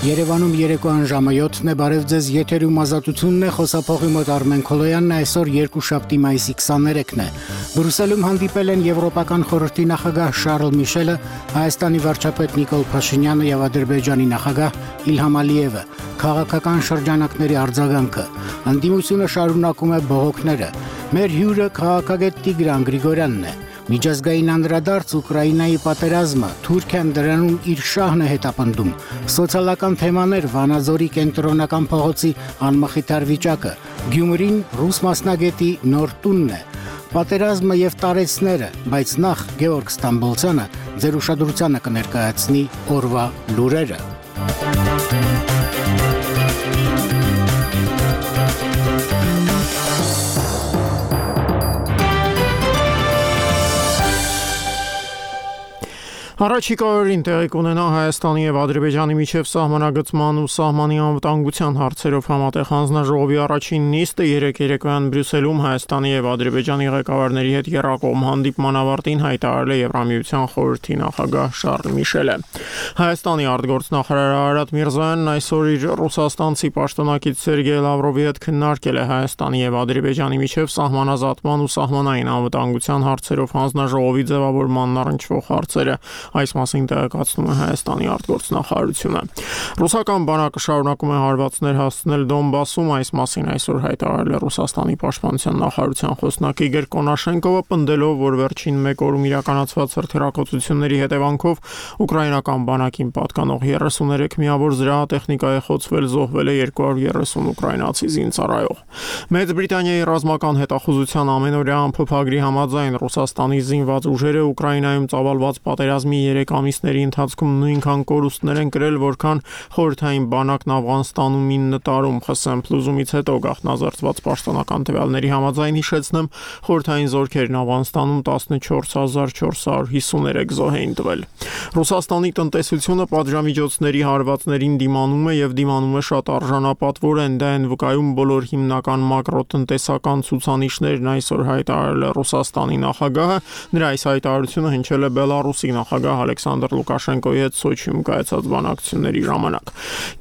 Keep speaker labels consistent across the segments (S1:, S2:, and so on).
S1: Երևանում երեկոյան ժամը 7-ն է, բարև ձեզ, եթերում ազատությունն է, խոսափողի մոտ Արմեն Քոլոյանն է, այսօր երկուշաբթի մայիսի 23-ն է։ Բրյուսելում հանդիպել են Եվրոպական խորհրդի նախագահ Շարլ Միշելը, Հայաստանի վարչապետ Նիկոլ Փաշինյանը եւ Ադրբեջանի նախագահ Իլհամ Ալիևը։ Քաղաքական շրջանակների արձագանքը։ Ընդդիմությունը շարունակում է բողոքները։ Մեր հյուրը քաղաքագետ Տիգրան Գրիգորյանն է։ Միջազգային անդրադարձ Ուկրաինայի պատերազմը, Թուրքիան դրանում իր շահն է հետապնդում, սոցիալական թեմաներ, Վանաձորի կենտրոնական փողոցի անմխիթար վիճակը, Գյումրին ռուս մասնագետի նոր տունն է, պատերազմը եւ տարեցները, բայց նախ Գեորգ Ստամբոլցյանը ձեր ուշադրությանը կներկայացնի օրվա լուրերը։
S2: Առաջիկա օրերին տեղի կունենա Հայաստանի եւ Ադրբեջանի միջև սահմանագծման ու սահմանի անվտանգության հարցերով համատեղ հանձնաժողովի առաջին նիստը երեկոյան Բրյուսելում Հայաստանի եւ Ադրբեջանի ղեկավարների հետ եռակողմ հանդիպման ավարտին հայտարարել է Եվրամիության խորհրդի նախագահ Շարլ Միշելը։ Հայաստանի արտգործնախարար Արարատ Միրզոյանն այսօր իր ռուսաստանցի պաշտոնակից Սերգեյ Լավրովի հետ քննարկել է Հայաստանի եւ Ադրբեջանի միջև սահմանազատման ու սահմանային անվտանգության հարցերով հանձնաժողովի ձևավորմանն առնչվող հարցերը։ Այս մասին տեղեկացնում է Հայաստանի արտգործնախարարությունը։ Ռուսական բանակը շարունակում է հարվածներ հասցնել Դոնբասում, այս մասին այսօր հայտարարել է Ռուսաստանի պաշտպանության նախարարության խոսնակ Իգոր Կոնաշենկովը, պնդելով, որ վերջին մեկ օրում իրականացված հրթիռակոծությունների հետևանքով ուկրաինական բանակին պատկանող 33 միավոր զրահատեխնիկա է խոցվել, զոհվել է 230 ուկրաինացի զինծառայող։ Մեծ Բրիտանիայի ռազմական հետախուզության ամենօրյա ամփոփագրի համաձայն Ռուսաստանի զինված ուժերը Ուկրաինայում ծավալված պատերազմի 3 ամիսների ընթացքում նույնքան կորուստներ են կրել, որքան խորհրդային բանակն Աֆղանստանում 9 տարում ԽՍՀՄ փլուզումից հետո գաղտնազարդված պաշտոնական տվյալների համաձայն հիշեցնեմ, խորհրդային զորքերն Աֆղանստանում 14453 զոհ էին տվել։ Ռուսաստանի տնտեսությունը պատժամիջոցների հարվածներին դիմանում է եւ դիմանում է շատ արժանապատվորեն, դա են վկայում բոլոր հիմնական մակրոտնտեսական ցուցանիշներն, այսօր հայտարարել է Ռուսաստանի նախագահը, նրա այս հայտարարությունը հնչել է Բելարուսի նախագահ Ալեքսանդր Լուկաշենկոյի հետ Սոչիում կայացած բանակցությունների ժամանակ։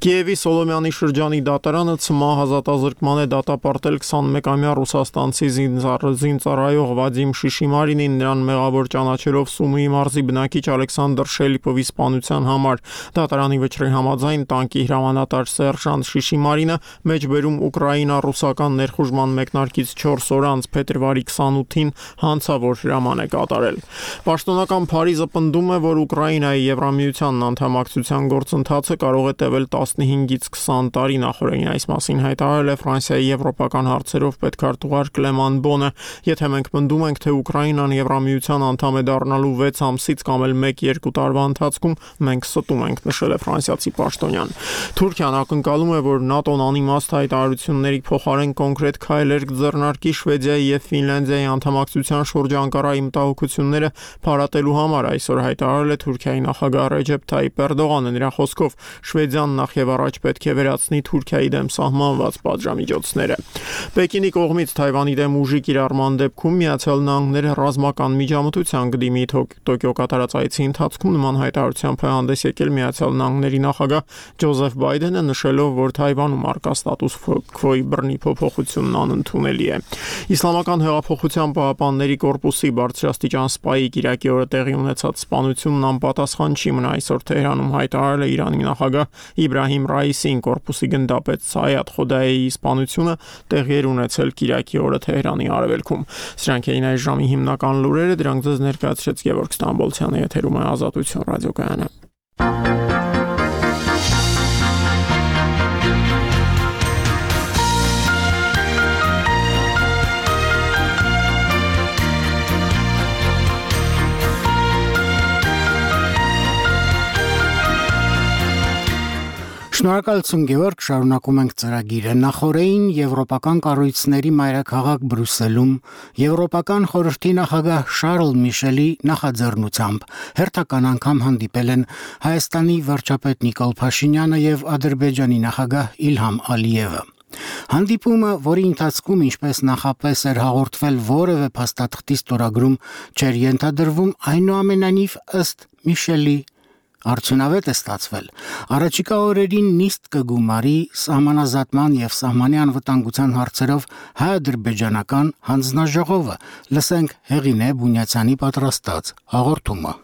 S2: Կիևի Սոլոմյանի շրջանի դատարանը ՑՄԱ ազատազրկման է դատապարտել 21-ամյա ռուսաստանցի զինծառայող Վադիմ Շիշիմարինին, նրան մեղավոր ճանաչելով Սումուի մարզի բնակիչ Ալեքսանդր Շելիպովի սպանության համար։ Դատարանի վճռի համաձայն տանկի հրամանատար Սերժանտ Շիշիմարինը մեջբերում Ուկրաինա-ռուսական ներխուժման մեկնարկից 4 օր անց փետրվարի 28-ին հանցավոր հրաման է կատարել։ Պաշտոնական Փարիզը պնդում է, որ Ուկրաինայի Եվրամիությանն անդամակցության գործընթացը կարող է տևել 15-ից 20 տարի, նախորդին այս մասին հայտարարել է Ֆրանսիայի եվրոպական հարցերով պետքարտուղար Կլեման Բոնը։ Եթե մենք պնդում ենք, թե Ուկրաինան Եվրամիության անդամ է դառնալու 6 ամսից կամ էլ 1-2 տարվա ընթացքում, մենք ստում ենք, նշել է ֆրանսիացի պաշտոնյան։ Թուրքիան ակնկալում է, որ ՆԱՏՕ-ն անիմաստ հայտարարությունների փոխարեն կոնկրետ քայլեր կձեռնարկի Շվեդիայի եւ Ֆինլանդիայի անդամակցության շրջանկարային մտահոգությունները փարատելու համար, այսօր հայտարարել է Թուրքիայի նախագահ Ռեջեփ Թայիփ Էրդողանը։ Նրա խոսքով Շվեդիան նախ եւ առաջ պետք է վերացնի Թուրքիայի դեմ սահմանված պատժամիջոցները։ Պեկինի կողմից Թայվանի դեմ ուժի կիրառման դեպքում Միացյալ Նահանգները ռազմական միջամտության կդիմի Տոկիո կատարած այցի ընթացքում նման հայտարարությամբ է հանդես եկել Միացյալ Նահանգների նախագահ Ջոզեֆ Բայդենը, նշելով, որ Թայվանում առկա ստատուս քվոյի բռնի փոփոխությունն անընդունելի է։ Իսլամական հեղափոխության պահապանների կորպուսի բարձրաստիճան սպայի Կիրակի օրը տեղի ունեցած սպանությունն անպատասխան չի մնա, այսօր Թեհրանում հայտարարել է Իրանի նախագահ Իբրահիմ Ռայիսին, կորպուսի գնդապետ Սայադ Խոդայեի սպանությունը տեղի էր ունեցել Կիրակի օրը Թեհրանի արևելքում։ Սրանք էին այս ժամի հիմնական լուրերը, դրանք ձեզ ներկայացրեց Գևորգ Ստամբոլցյանը, եթերում է Ազատություն ռադիոկայանը։
S1: Շնորհակալություն Գևորգ, շարունակում ենք ծրագիրը։ Նախորդին եվրոպական կառույցների մայրաքաղաք Բրյուսելում Եվրոպական խորհրդի նախագահ Շարլ Միշելի նախաձեռնությամբ հերթական անգամ հանդիպել են Հայաստանի վարչապետ Նիկոլ Փաշինյանը եւ Ադրբեջանի նախագահ Իլհամ Ալիևը։ Հանդիպումը, որի ընթացքում ինչպես նախապես էր հաղորդվել որևէ փաստաթղթի ստորագրում չէր ենթադրվում, այնուամենայնիվ ըստ Միշելի Արդյունավետ է ստացվել։ Առաջիկա օրերին նիստ կգումարի սահմանազատման եւ սահմանի անվտանգության հարցերով հայ-ադրբեջանական հանձնաժողովը։ Լսենք Հեղինե Բունյացյանի պատրաստած հաղորդումը։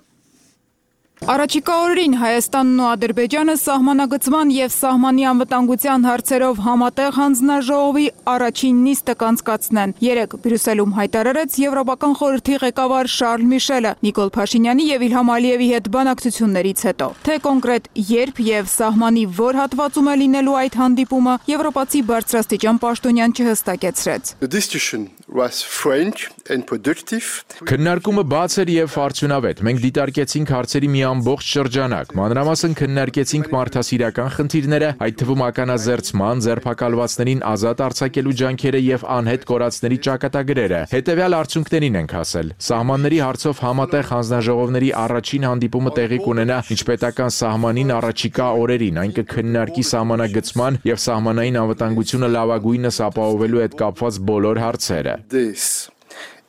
S3: Առաջիկա օրերին Հայաստանն ու Ադրբեջանը սահմանագծման եւ սահմանի անվտանգության հարցերով համատեղ հանձնաժողովի առաջին նիստը կանցկացնեն։ Երեկ Բրյուսելում հայտարարեց Եվրոպական խորհրդի ղեկավար Շարլ Միշելը Նիկոլ Փաշինյանի եւ Իլհամ Ալիևի հետ բանակցություններից հետո։ Թե կոնկրետ երբ եւ սահմանի որ հատվածում է լինելու այդ հանդիպումը, եվրոպացի բարձրաստիճան պաշտոնյան չհստակեցրեց։
S4: Քննարկումը բաց էր եւ արդյունավետ։ Մենք դիտարկեցինք հարցերի մի ամբողջ շրջանակ, մանրամասն քննարկեցինք մարդասիրական խնդիրները, այդ թվում ականազերծման, ձերբակալվածներին ազատ արձակելու ջանքերը եւ անհետ կորածների ճակատագրերը։ Հետեւյալ արդյունքներին ենք հասել։ Սահմանների հարցով համատեղ հանձնաժողովների առաջին հանդիպումը տեղի կունենա միջպետական սահմանին առաջիկա օրերին, այն կքննարկի սահմանագծման եւ սահմանային անվտանգությունը լավագույնս ապահովելու հետ կապված բոլոր հարցերը։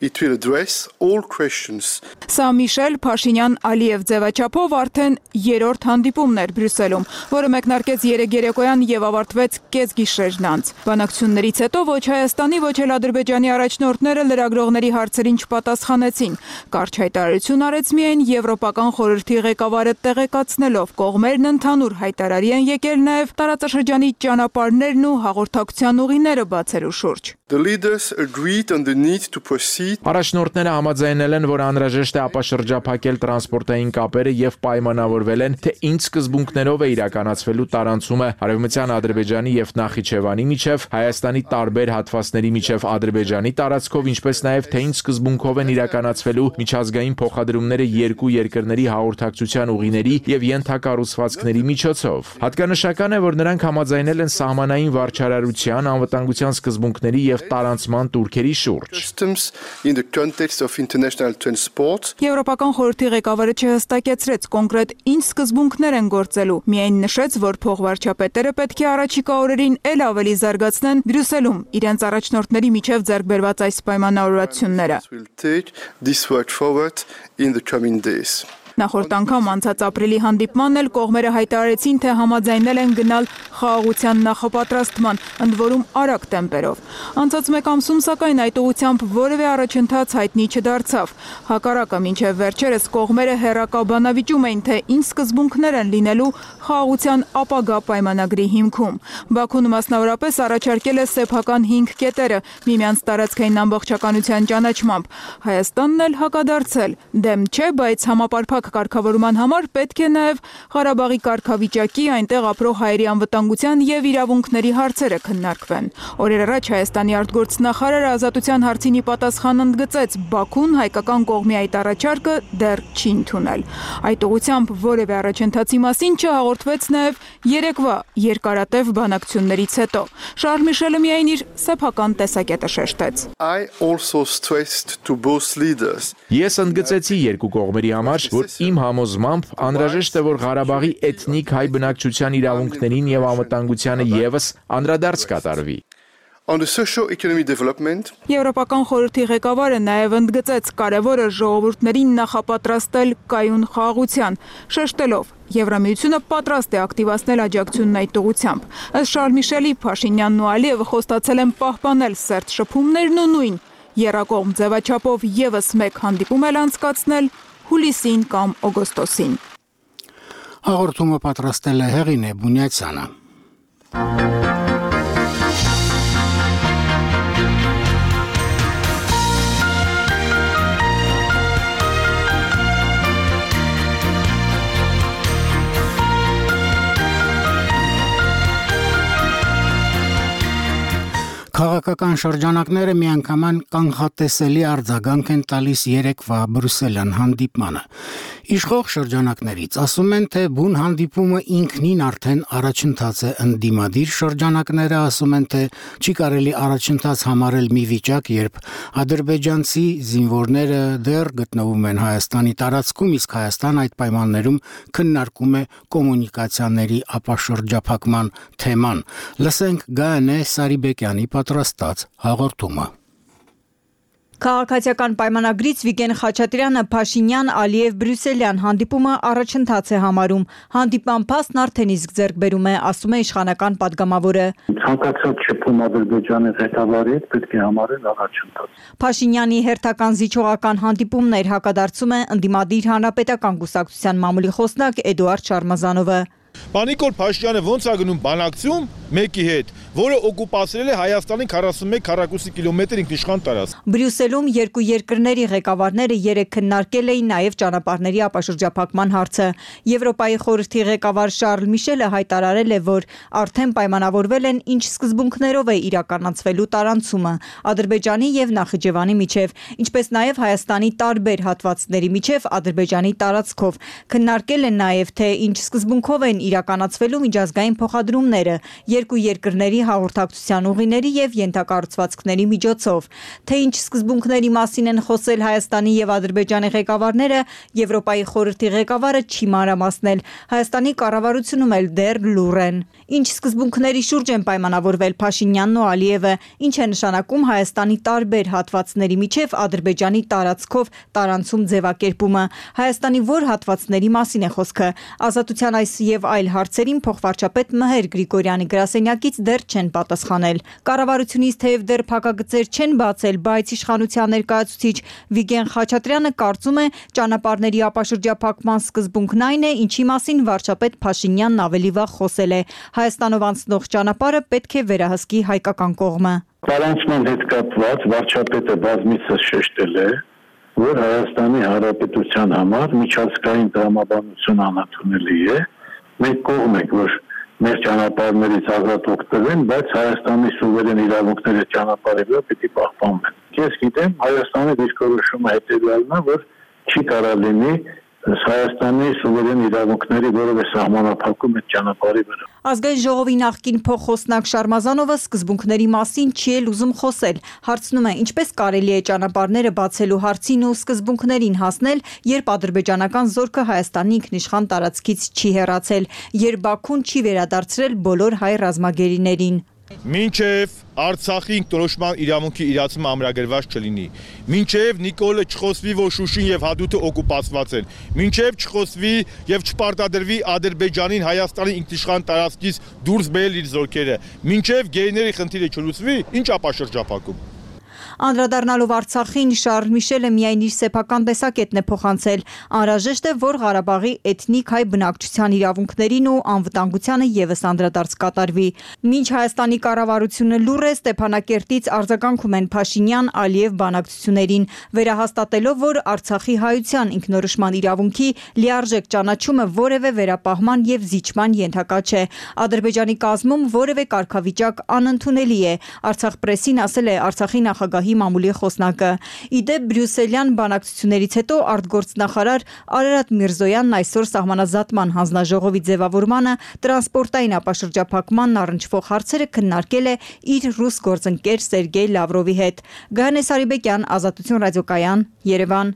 S5: It will address all questions.
S3: Սա Միշել Փաշինյան Ալիև ձևաչափով արդեն երրորդ հանդիպումն էր Բրյուսելում, որը մեկնարկեց երեկ երեկոյան եւ ավարտվեց կեսգիշերն անց։ Բանակցություններից հետո ոչ Հայաստանի, ոչ էլ Ադրբեջանի առաջնորդները լրագրողների հարցերին չպատասխանեցին։ Կարճ հայտարարություն արեց միայն Եվրոպական խորհրդի ղեկավարը տեղեկացնելով կողմերն ընդհանուր հայտարարի են եկել նաեւ տարածաշրջանի ճանապարհներն ու հաղորդակցության ուղիները բացելու շուրջ։
S5: The leaders agreed on the need to proceed.
S4: Առաջնորդները համաձայնել են, որ անհրաժեշտ է ապաշրջափակել տրանսպորտային կապերը եւ պայմանավորվել են, թե ինչ սկզբունքներով է իրականացվելու տարանցումը Արևմտյան Ադրբեջանի եւ Նախիջևանի միջև, Հայաստանի տարբեր հատվածների միջև Ադրբեջանի տարածքով, ինչպես նաեւ թե ինչ սկզբունքով են իրականացվելու միջազգային փոխադրումները երկու երկրների հաղորդակցության ուղիների եւ ենթակառուցվածքների միջոցով։ Հատկանշական է, որ նրանք համաձայնել են սահմանային վարչարարության, անվտանգության սկզբունքների եւ տարանցման տուրքերի շուրջ։
S5: In the context of international transport.
S3: Եվրոպական խորհրդի ղեկավարը չհստակեցրեց կոնկրետ ինչ սկզբունքներ են գործելու, միայն նշեց, որ փոխվարչապետերը պետք է առաջիկա օրերին ել ավելի զարգացնեն Բրյուսելում իրենց առաջնորդների միջև ձեռք բերված այս պայմանավորվածությունները։ Նախորդ անգամ անցած ապրիլի հանդիպմանն էլ կողմերը հայտարարեցին, թե համաձայնել են գնալ խաղաղության նախապատրաստման, ընդ որում արագ տեմպերով։ Անցած մեկ ամսում սակայն այդ ուղղությամբ որևէ առաջընթաց հայտնի չդարձավ։ Հակառակը մինչև վերջերս կողմերը հերակաբանավիճում էին, թե ինչ սկզբունքներ են լինելու խաղաղության ապագա պայմանագրի հիմքում։ Բաքուն մասնավորապես առաջարկել է սեփական 5 կետերը միմյանց տարածքային ամբողջականության ճանաչմամբ։ Հայաստանն էլ հակադարձել։ Դեմ չէ, բայց համապարփակ կարգավորման համար պետք է նաև Ղարաբաղի կարգավիճակի, այնտեղ ապրող հայերի անվտանգության եւ իրավունքների հարցերը քննարկվեն։ Օրեր առաջ Հայաստանի արտգործնախարարը ազատության հարցին ի պատասխան ընդգծեց, Բաքուն հայկական կողմի այդ առաջարկը դեռ չի ընդունել։ Այդ ուղղությամբ որևէ առաջընթացի մասին չհաղորդվեց նաև երեկվա երկարատև բանակցություններից հետո։ Շարլ Միշելը միայն իր սեփական տեսակետը շեշտեց։
S5: I also stressed to both leaders.
S4: Ես ընդգծեցի երկու կողմերի համար, որ իմ համոզմամբ անհրաժեշտ է, որ Ղարաբաղի էթնիկ հայ բնակչության իրավունքներին եւ անվտանգությանը եւս անդրադարձ կատարվի։
S5: On the socio-economic development.
S3: Եվրոպական խորհրդի ղեկավարը նաև ընդգծեց կարևորը ժողովուրդներին նախապատրաստել կայուն խաղաղության, շեշտելով Եվրամիությունը պատրաստ է ակտիվացնել աջակցությունն այդ ուղղությամբ։ Ըստ Շարլ Միշելի, Փաշինյանն ու Ալիևը խոստացել են պահպանել սերտ շփումներն ու նույն եռակողմ ձևաչափով եւս մեկ հանդիպում էլ անցկացնել հուլիսին կամ օգոստոսին։
S1: Հաղորդումը պատրաստել է Հեղինե Բունյացյանը։ Քաղաքական շրջանակները միանգամայն կանխատեսելի արձագանք են տալիս երեկվա Բրյուսելյան հանդիպմանը։ Իշխող շրջանակներից ասում են, թե բուն հանդիպումը ինքնին արդեն առաջընթաց է, ընդդիմադիր շրջանակները ասում են, թե չի կարելի առաջընթաց համարել մի վիճակ, երբ ադրբեջանցի զինվորները դեռ գտնվում են Հայաստանի տարածքում, իսկ Հայաստան այդ պայմաններում քննարկում է կոմունիկացիաների ապաշրջափակման թեման։ Լսենք Գայանե Սարիբեկյանի պատրաստած հաղորդումը։
S6: Քաղաքացիական պայմանագրից Վիգեն Խաչատրյանը Փաշինյան-Ալիև-Բրյուսելյան հանդիպումը առաջընթաց է համարում։ Հանդիպման փաստն արդեն իսկ ձեռք բերում է, ասում է իշխանական պատգամավորը։
S7: Ցանկացած շփում Ադրբեջանի ղեկավարի հետ պետք է համարել առաջընթաց։
S6: Փաշինյանի հերթական զիջողական հանդիպումներ հակադարձում է ընդդիմադիր հանրապետական կուսակցության մամուլի խոսնակ Էդուարդ Շարմազանովը։
S8: Նիկոլ Փաշինյանը ոնց է գնում բանակցում մեկի հետ, որը օկուպացրել է Հայաստանի 41 քառակուսի կիլոմետր ինքնիշխան տարածք։
S6: Բրյուսելում երկու երկրների ղեկավարները երեկ քննարկել էին նաև ճանապարհների ապաշրջափակման հարցը։ Եվրոպայի խորհրդի ղեկավար Շարլ Միշելը հայտարարել է, որ արդեն պայմանավորվել են ինչ սկզբունքներով է իրականացվելու տարանցումը Ադրբեջանի եւ Նախիջևանի միջև, ինչպես նաև Հայաստանի տարբեր հատվածների միջև Ադրբեջանի տարածքով։ Քննարկել են նաև թե ինչ սկզբունքով են իրականացվելու միջազգային փոխադրումները երկու երկրների հաղորդակցության ուղիների եւ ենթակառուցվածքների միջոցով։ Թե ինչ սկզբունքների մասին են խոսել Հայաստանի եւ Ադրբեջանի ղեկավարները, Եվրոպայի խորհրդի ղեկավարը չի մանրամասնել։ Հայաստանի կառավարությունում էլ դեռ լուռ են։ Ինչ սկզբունքների շուրջ են պայմանավորվել Փաշինյանն ու Ալիևը, ինչ է նշանակում Հայաստանի տարբեր հատվածների միջև Ադրբեջանի տարածքով տարանցում ձևակերպումը։ Հայաստանի որ հատվածների մասին է խոսքը։ Ազատության այս եւ այլ հարցերին փոխվարչապետ Մհեր Գրիգորյանի գրասենյակից դեռ չեն պատասխանել։ Կառավարությունից թեև դեռ փակագծեր չեն բացել, բայց իշխանության ներկայացուցիչ Վիգեն Խաչատրյանը կարծում է ճանապարհների ապաշրջափակման սկզբունքն այն է, ինչի մասին վարչապետ Փաշինյանն ավելի վաղ խոսել է։ Հայաստանով անցնող ճանապարհը պետք է վերահսկի հայկական կողմը։
S7: Տարանցման հետ կապված վարչապետը բազմիցս շեշտել է, որ Հայաստանի Հանրապետության համար միջազգային տրամաբանություն անընդունելի է։ Մենք կողմ ենք, որ մեր ճանապարհներից ազատ օգտվեն, բայց Հայաստանի սուվերեն իրավունքները ճանապարհի վրա պետք է պահպանվեն։ Ես գիտեմ, Հայաստանի դիրքորոշումը հետևյալն է, որ չի կարա լինի Հայաստանի սուվերեն իրավունքների որևէ սահմանափակում այդ ճանապարհի վրա։
S6: Ազգային ժողովի նախկին փոխխոսնակ Շարմազանովը սկզբունքների մասին չի էլ ուզում խոսել։ Հարցնում է, ինչպես կարելի է ճանապարհները բացելու հարցին ու սկզբունքներին հասնել, երբ ադրբեջանական զորքը Հայաստանի ինքնիշխան տարածքից չի հեռացել, երբ Բաքուն չի վերադարձրել բոլոր հայ ռազմագերիներին։
S8: Մինչև Արցախի ինքնորոշման իրավունքի իրացումը ամրագրված չլինի, մինչև Նիկոլը չխոսվի, որ Շուշին եւ Հադրութը օկուպացված են, մինչև չխոսվի եւ չպարտադրվի Ադրբեջանին Հայաստանի ինքնիշխան տարածքից դուրս բերել իր զորքերը, մինչև գերիների խնդիրը չլուծվի, ինչ ապաշրջափակում։
S6: Անդրադառնալով Արցախին, Շարլ Միշելը միայն իր սեփական տեսակետն է փոխանցել։ Անհրաժեշտ է, որ Ղարաբաղի էթնիկ հայ բնակչության իրավունքներին ու անվտանգությանը ևս անդրադարձ կատարվի։ Մինչ Հայաստանի կառավարությունը լուռ է, Ստեփանակերտից արձագանքում են Փաշինյան-Ալիև բանակցություններին, վերահաստատելով, որ Արցախի հայության ինքնորոշման իրավունքի լիարժեք ճանաչումը որևէ վերապահման եւ զիջման ենթակա չէ։ Ադրբեջանի կազմում որևէ կարգավիճակ անընդունելի է։ Արցախ պրեսին ասել է Արցախի նախագահի մամուլի խոսնակը։ Իդեպ Բրյուսելյան բանակցություններից հետո արտգործնախարար Արարատ Միրզոյանն այսօր սահմանազատման հանձնաժողովի ձևավորմանը տրանսպորտային ապաշրջափակմանն առնչվող հարցերը քննարկել է իր ռուս գործընկեր Սերգեյ Լավրովի հետ։ Գայանե Սարիբեկյան, Ազատություն ռադիոկայան, Երևան։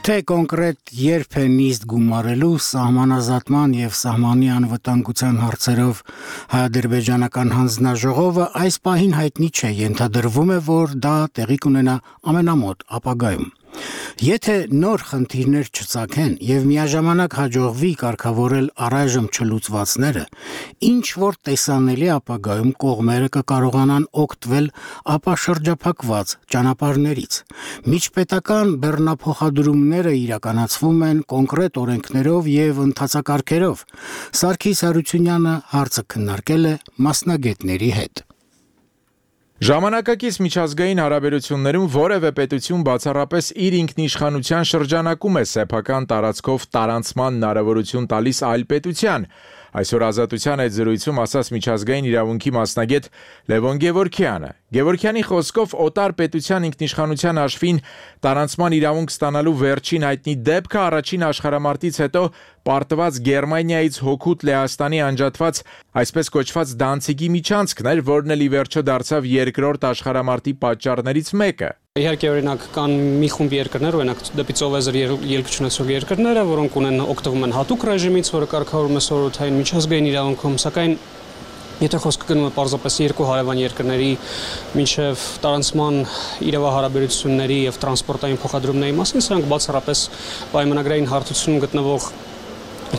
S1: Թե կոնկրետ երբ է նիստ գումարելու սահմանազատման եւ սահմանի անվտանգության հարցերով հայ-ադրբեջանական հանձնաժողովը այս պահին հայտնի չէ, ենթադրվում է, որ դա տեղի կունենա ամենամոտ ապագայում։ Եթե նոր խնդիրներ չծագեն եւ միաժամանակ հաջողվի կարգավորել առայժմ չլուծվածները, ինչ որ տեսանելի ապագայում կողմերը կկարողանան օգտվել ապաշրջափակված ճանապարհներից։ Միջպետական բեռնափոխադրումները իրականացվում են կոնկրետ օրենքներով եւ ընթացակարգերով։ Սարգիս Հարությունյանը հարցը քննարկել է մասնագետների հետ։
S4: Ժամանակակից միջազգային հարաբերություններում որևէ պետություն բացառապես իր ինքնիշխանության շրջանակում է սեփական տարածքով տարանցման հնարավորություն տալիս այլ պետության։ Այսօր Ազատության այդ զրույցում ասաց միջազգային իրավունքի մասնագետ Լևոն Գևորգյանը։ Գևորգյանի խոսքով օտար պետության ինքնիշխանության հաշվին տարանցման իրավունք ստանալու վերջին հայտնի դեպքը առաջին աշխարհամարտից հետո պարտված Գերմանիայից հօգուտ Լեհաստանի անջատված այսպես կոչված Դանցիգի միջանցքն էր, որն էլ ի վերջո դարձավ երկրորդ աշխարհամարտի պատճառներից մեկը։
S9: Իհարկե օրինակ կան մի խումբ երկրներ, օրինակ դեպի ծովեզր ելք չունեցող երկրները, որոնք օգտվում են հատուկ ռեժիմից, որը կարգավորում է սովորութային միջազգային իրավունքում, սակայն եթե խոսքը գնում է պարզապես երկու հարևան երկրների մինչև տարանցման իրավահարաբերությունների եւ տրանսպորտային փոխադրումների մասին, սրանք բացառապես պայմանագրային հարթությունում գտնվող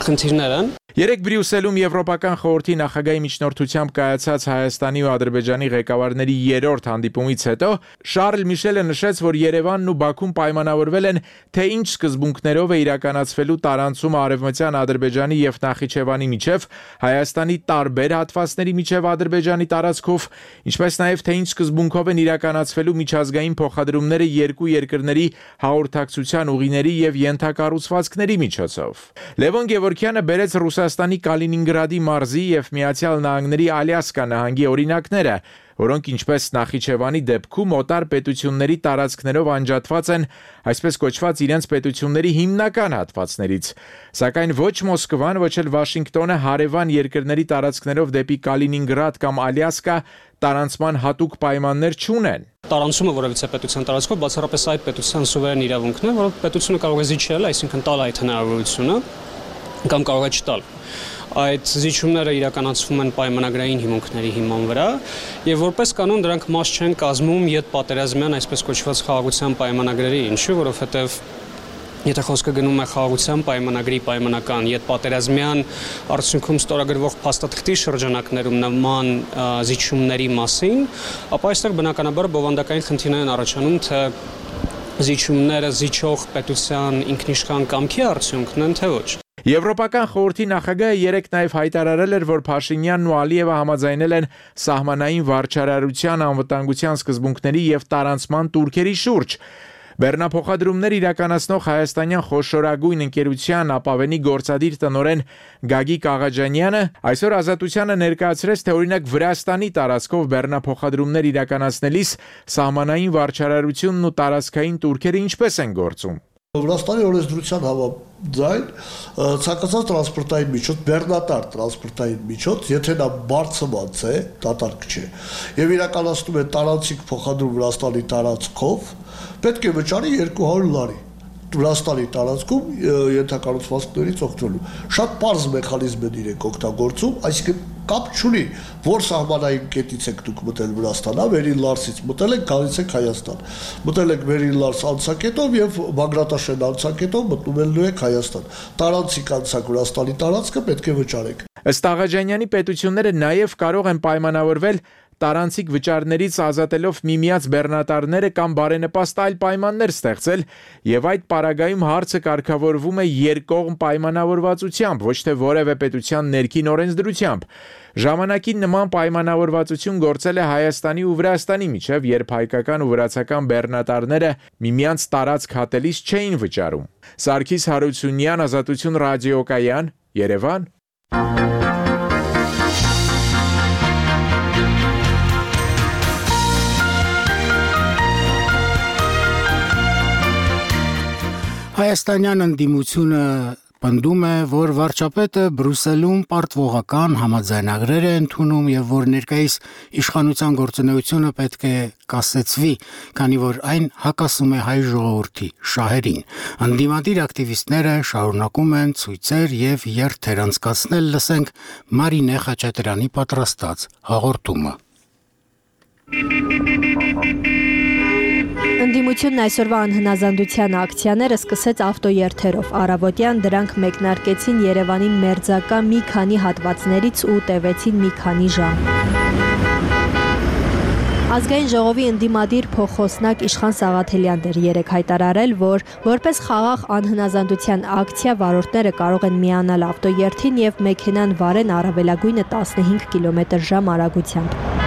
S9: խնդիրներ են։
S4: Երեք Բրյուսելում Եվրոպական խորհրդի նախագահի միջնորդությամբ կայացած Հայաստանի ու Ադրբեջանի ղեկավարների երրորդ հանդիպումից հետո Շարլ Միշելը նշեց, որ Երևանն ու Բաքուն պայմանավորվել են, թե ինչ սկզբունքներով է իրականացվելու տարանցումը Արևմտյան Ադրբեջանի եւ Նախիջևանի միջև, Հայաստանի տարբեր հատվածների միջև Ադրբեջանի տարածքով, ինչպես նաեւ թե ինչ սկզբունքով են իրականացվելու միջազգային փոխադրումները երկու երկրների հաղորդակցության ուղիների եւ ենթակառուցվածքների միջոցով։ Լևոն Գևորգյանը բերեց Ռուսաստանի Կալինինգրադի մարզի եւ Միացյալ Նահանգների Ալյասկա նահանգի օրինակները, որոնք ինչպես Նախիջևանի դեպքում օտար պետությունների տարածքներով անջատված են, այսպես կոչված իրենց պետությունների հիմնական հատվածներից, սակայն ոչ Մոսկվան, ոչ էլ Վաշինգտոնը հարևան երկրների տարածքներով դեպի Կալինինգրադ կամ Ալյասկա տարանցման հատուկ պայմաններ չունեն։
S9: Տարանցումը որևիցե պետության տարածքով բացառապես այդ պետության սուվերեն իրավունքն է, որը պետությունը կարող է զիջել, այսինքն տալ այդ հնարավորությունը կամ կարող է չտալ։ Այդ զիջումները իրականացվում են պայմանագրային հիմունքների հիման վրա եւ որպես կանոն դրանք մաս չեն կազմում յետպատերազմյան այսպես կոչված խաղաղության պայմանագրերի, ինչու, որովհետեւ եթե խոսքը գնում է խաղաղության պայմանագրի պայմանական յետպատերազմյան արդյունքում ստորագրվող փաստաթղթի շրջանակներում նման զիջումների մասին, ապա այստեղ բնականաբար բովանդակային խնդիրներ են առաջանում, թե զիջումները զիջող պետության ինքնիշխան կամքի արդյունքն են, թե ոչ։
S4: Եվրոպական խորհրդի նախագահը երեկ նաև հայտարարել էր, որ Փաշինյանն ու Ալիևը համաձայնել են սահմանային վարչարարության անվտանգության սկզբունքների եւ տարանցման տուրքերի շուրջ։ Բեռնափոխադրումներ իրականացնող հայաստանյան խոշորագույն ընկերության ապավենի գործադիր տնօրեն Գագիկ Աղաջանյանը այսօր Ազատությանը ներկայացրեց, թե օրինակ Վրաստանի տարածքով բեռնափոխադրումներ իրականացնելիս սահմանային վարչարարությունն ու տարածքային տուրքերը ինչպես են գործում։
S10: Վրաստանի օրենսդրության համաձայն ցանկացած տրանսպորտային միջոց, բեռնատար տրանսպորտային միջոց, եթե նա բարձրացած է, դատարկ չէ, եւ իրականացնում է տարանցիկ փոխադրում Վրաստանի տարածքով, պետք է վճարի 200 լարի Վրաստանի տարածքում ենթակառուցվածքներից օգտվելու։ Շատ պարզ մեխանիզմ են իրենք օգտագործում, այսինքն կապ չունի, որ սահմանային կետից եք դուք մտել Վրաստան, Վերին Լարսից մտել եք, գալիս եք Հայաստան։ Մտել եք Վերին Լարս անցակետով եւ Բագրատաշեն անցակետով մտնելու եք Հայաստան։ Տարանցիկ անցակ Վրաստանի տարածքը պետք է վճարեք։
S4: Ըստ Աղաջանյանի պետությունները նաեւ կարող են պայմանավորվել տարանցիկ վճարներից ազատելով միմիած բեռնատարները կամ բարենպաստ այլ պայմաններ ստեղծել եւ այդ պարագայում հարցը կարգավորվում է երկկողմ պայմանավորվածությամբ, ոչ թե որևէ պետության ներքին օրենսդրությամբ։ Ժամանակին նման պայմանավորվածություն գործել է Հայաստանի ու Վրաստանի միջև, երբ հայկական ու վրացական բեռնատարները միմյանց տարածք հատելիս չէին վճարում։ Սարգիս Հարությունյան, Ազատություն ռադիոկայան, Երևան։
S1: Հայաստանյան ընդդիմությունը պնդում է, որ վարչապետը Բրյուսելում պարտվողական համաձայնագրեր է ընդունում եւ որ ներկայիս իշխանության գործունեությունը պետք է կասեցվի, քանի որ այն հակասում է հայ ժողովրդի շահերին։ Ընդդիմադիր ակտիվիստները շարունակում են ցույցեր եւ երթեր անցկացնել, լսենք Մարինե Խաչատրյանի պատրաստած հաղորդումը։
S11: Ընդդիմությունն այսօրվա անհնազանդության ակցիաները սկսեց ավտոերթերով։ Առավոտյան դրանք մեկնարկեցին Երևանին մերձակա մի քանի հատվածներից ու տևեցին մի քանի ժամ։ Ազգային ժողովի ընդդիմադիր փոխոսնակ Իշխան Սաղաթելյանն էր երեկ հայտարարել, որ որպես խաղաղ անհնազանդության ակցիա վարորդները կարող են միանալ ավտոերթին եւ մեքենան վարեն առավելագույնը 15 կմ/ժ արագությամբ։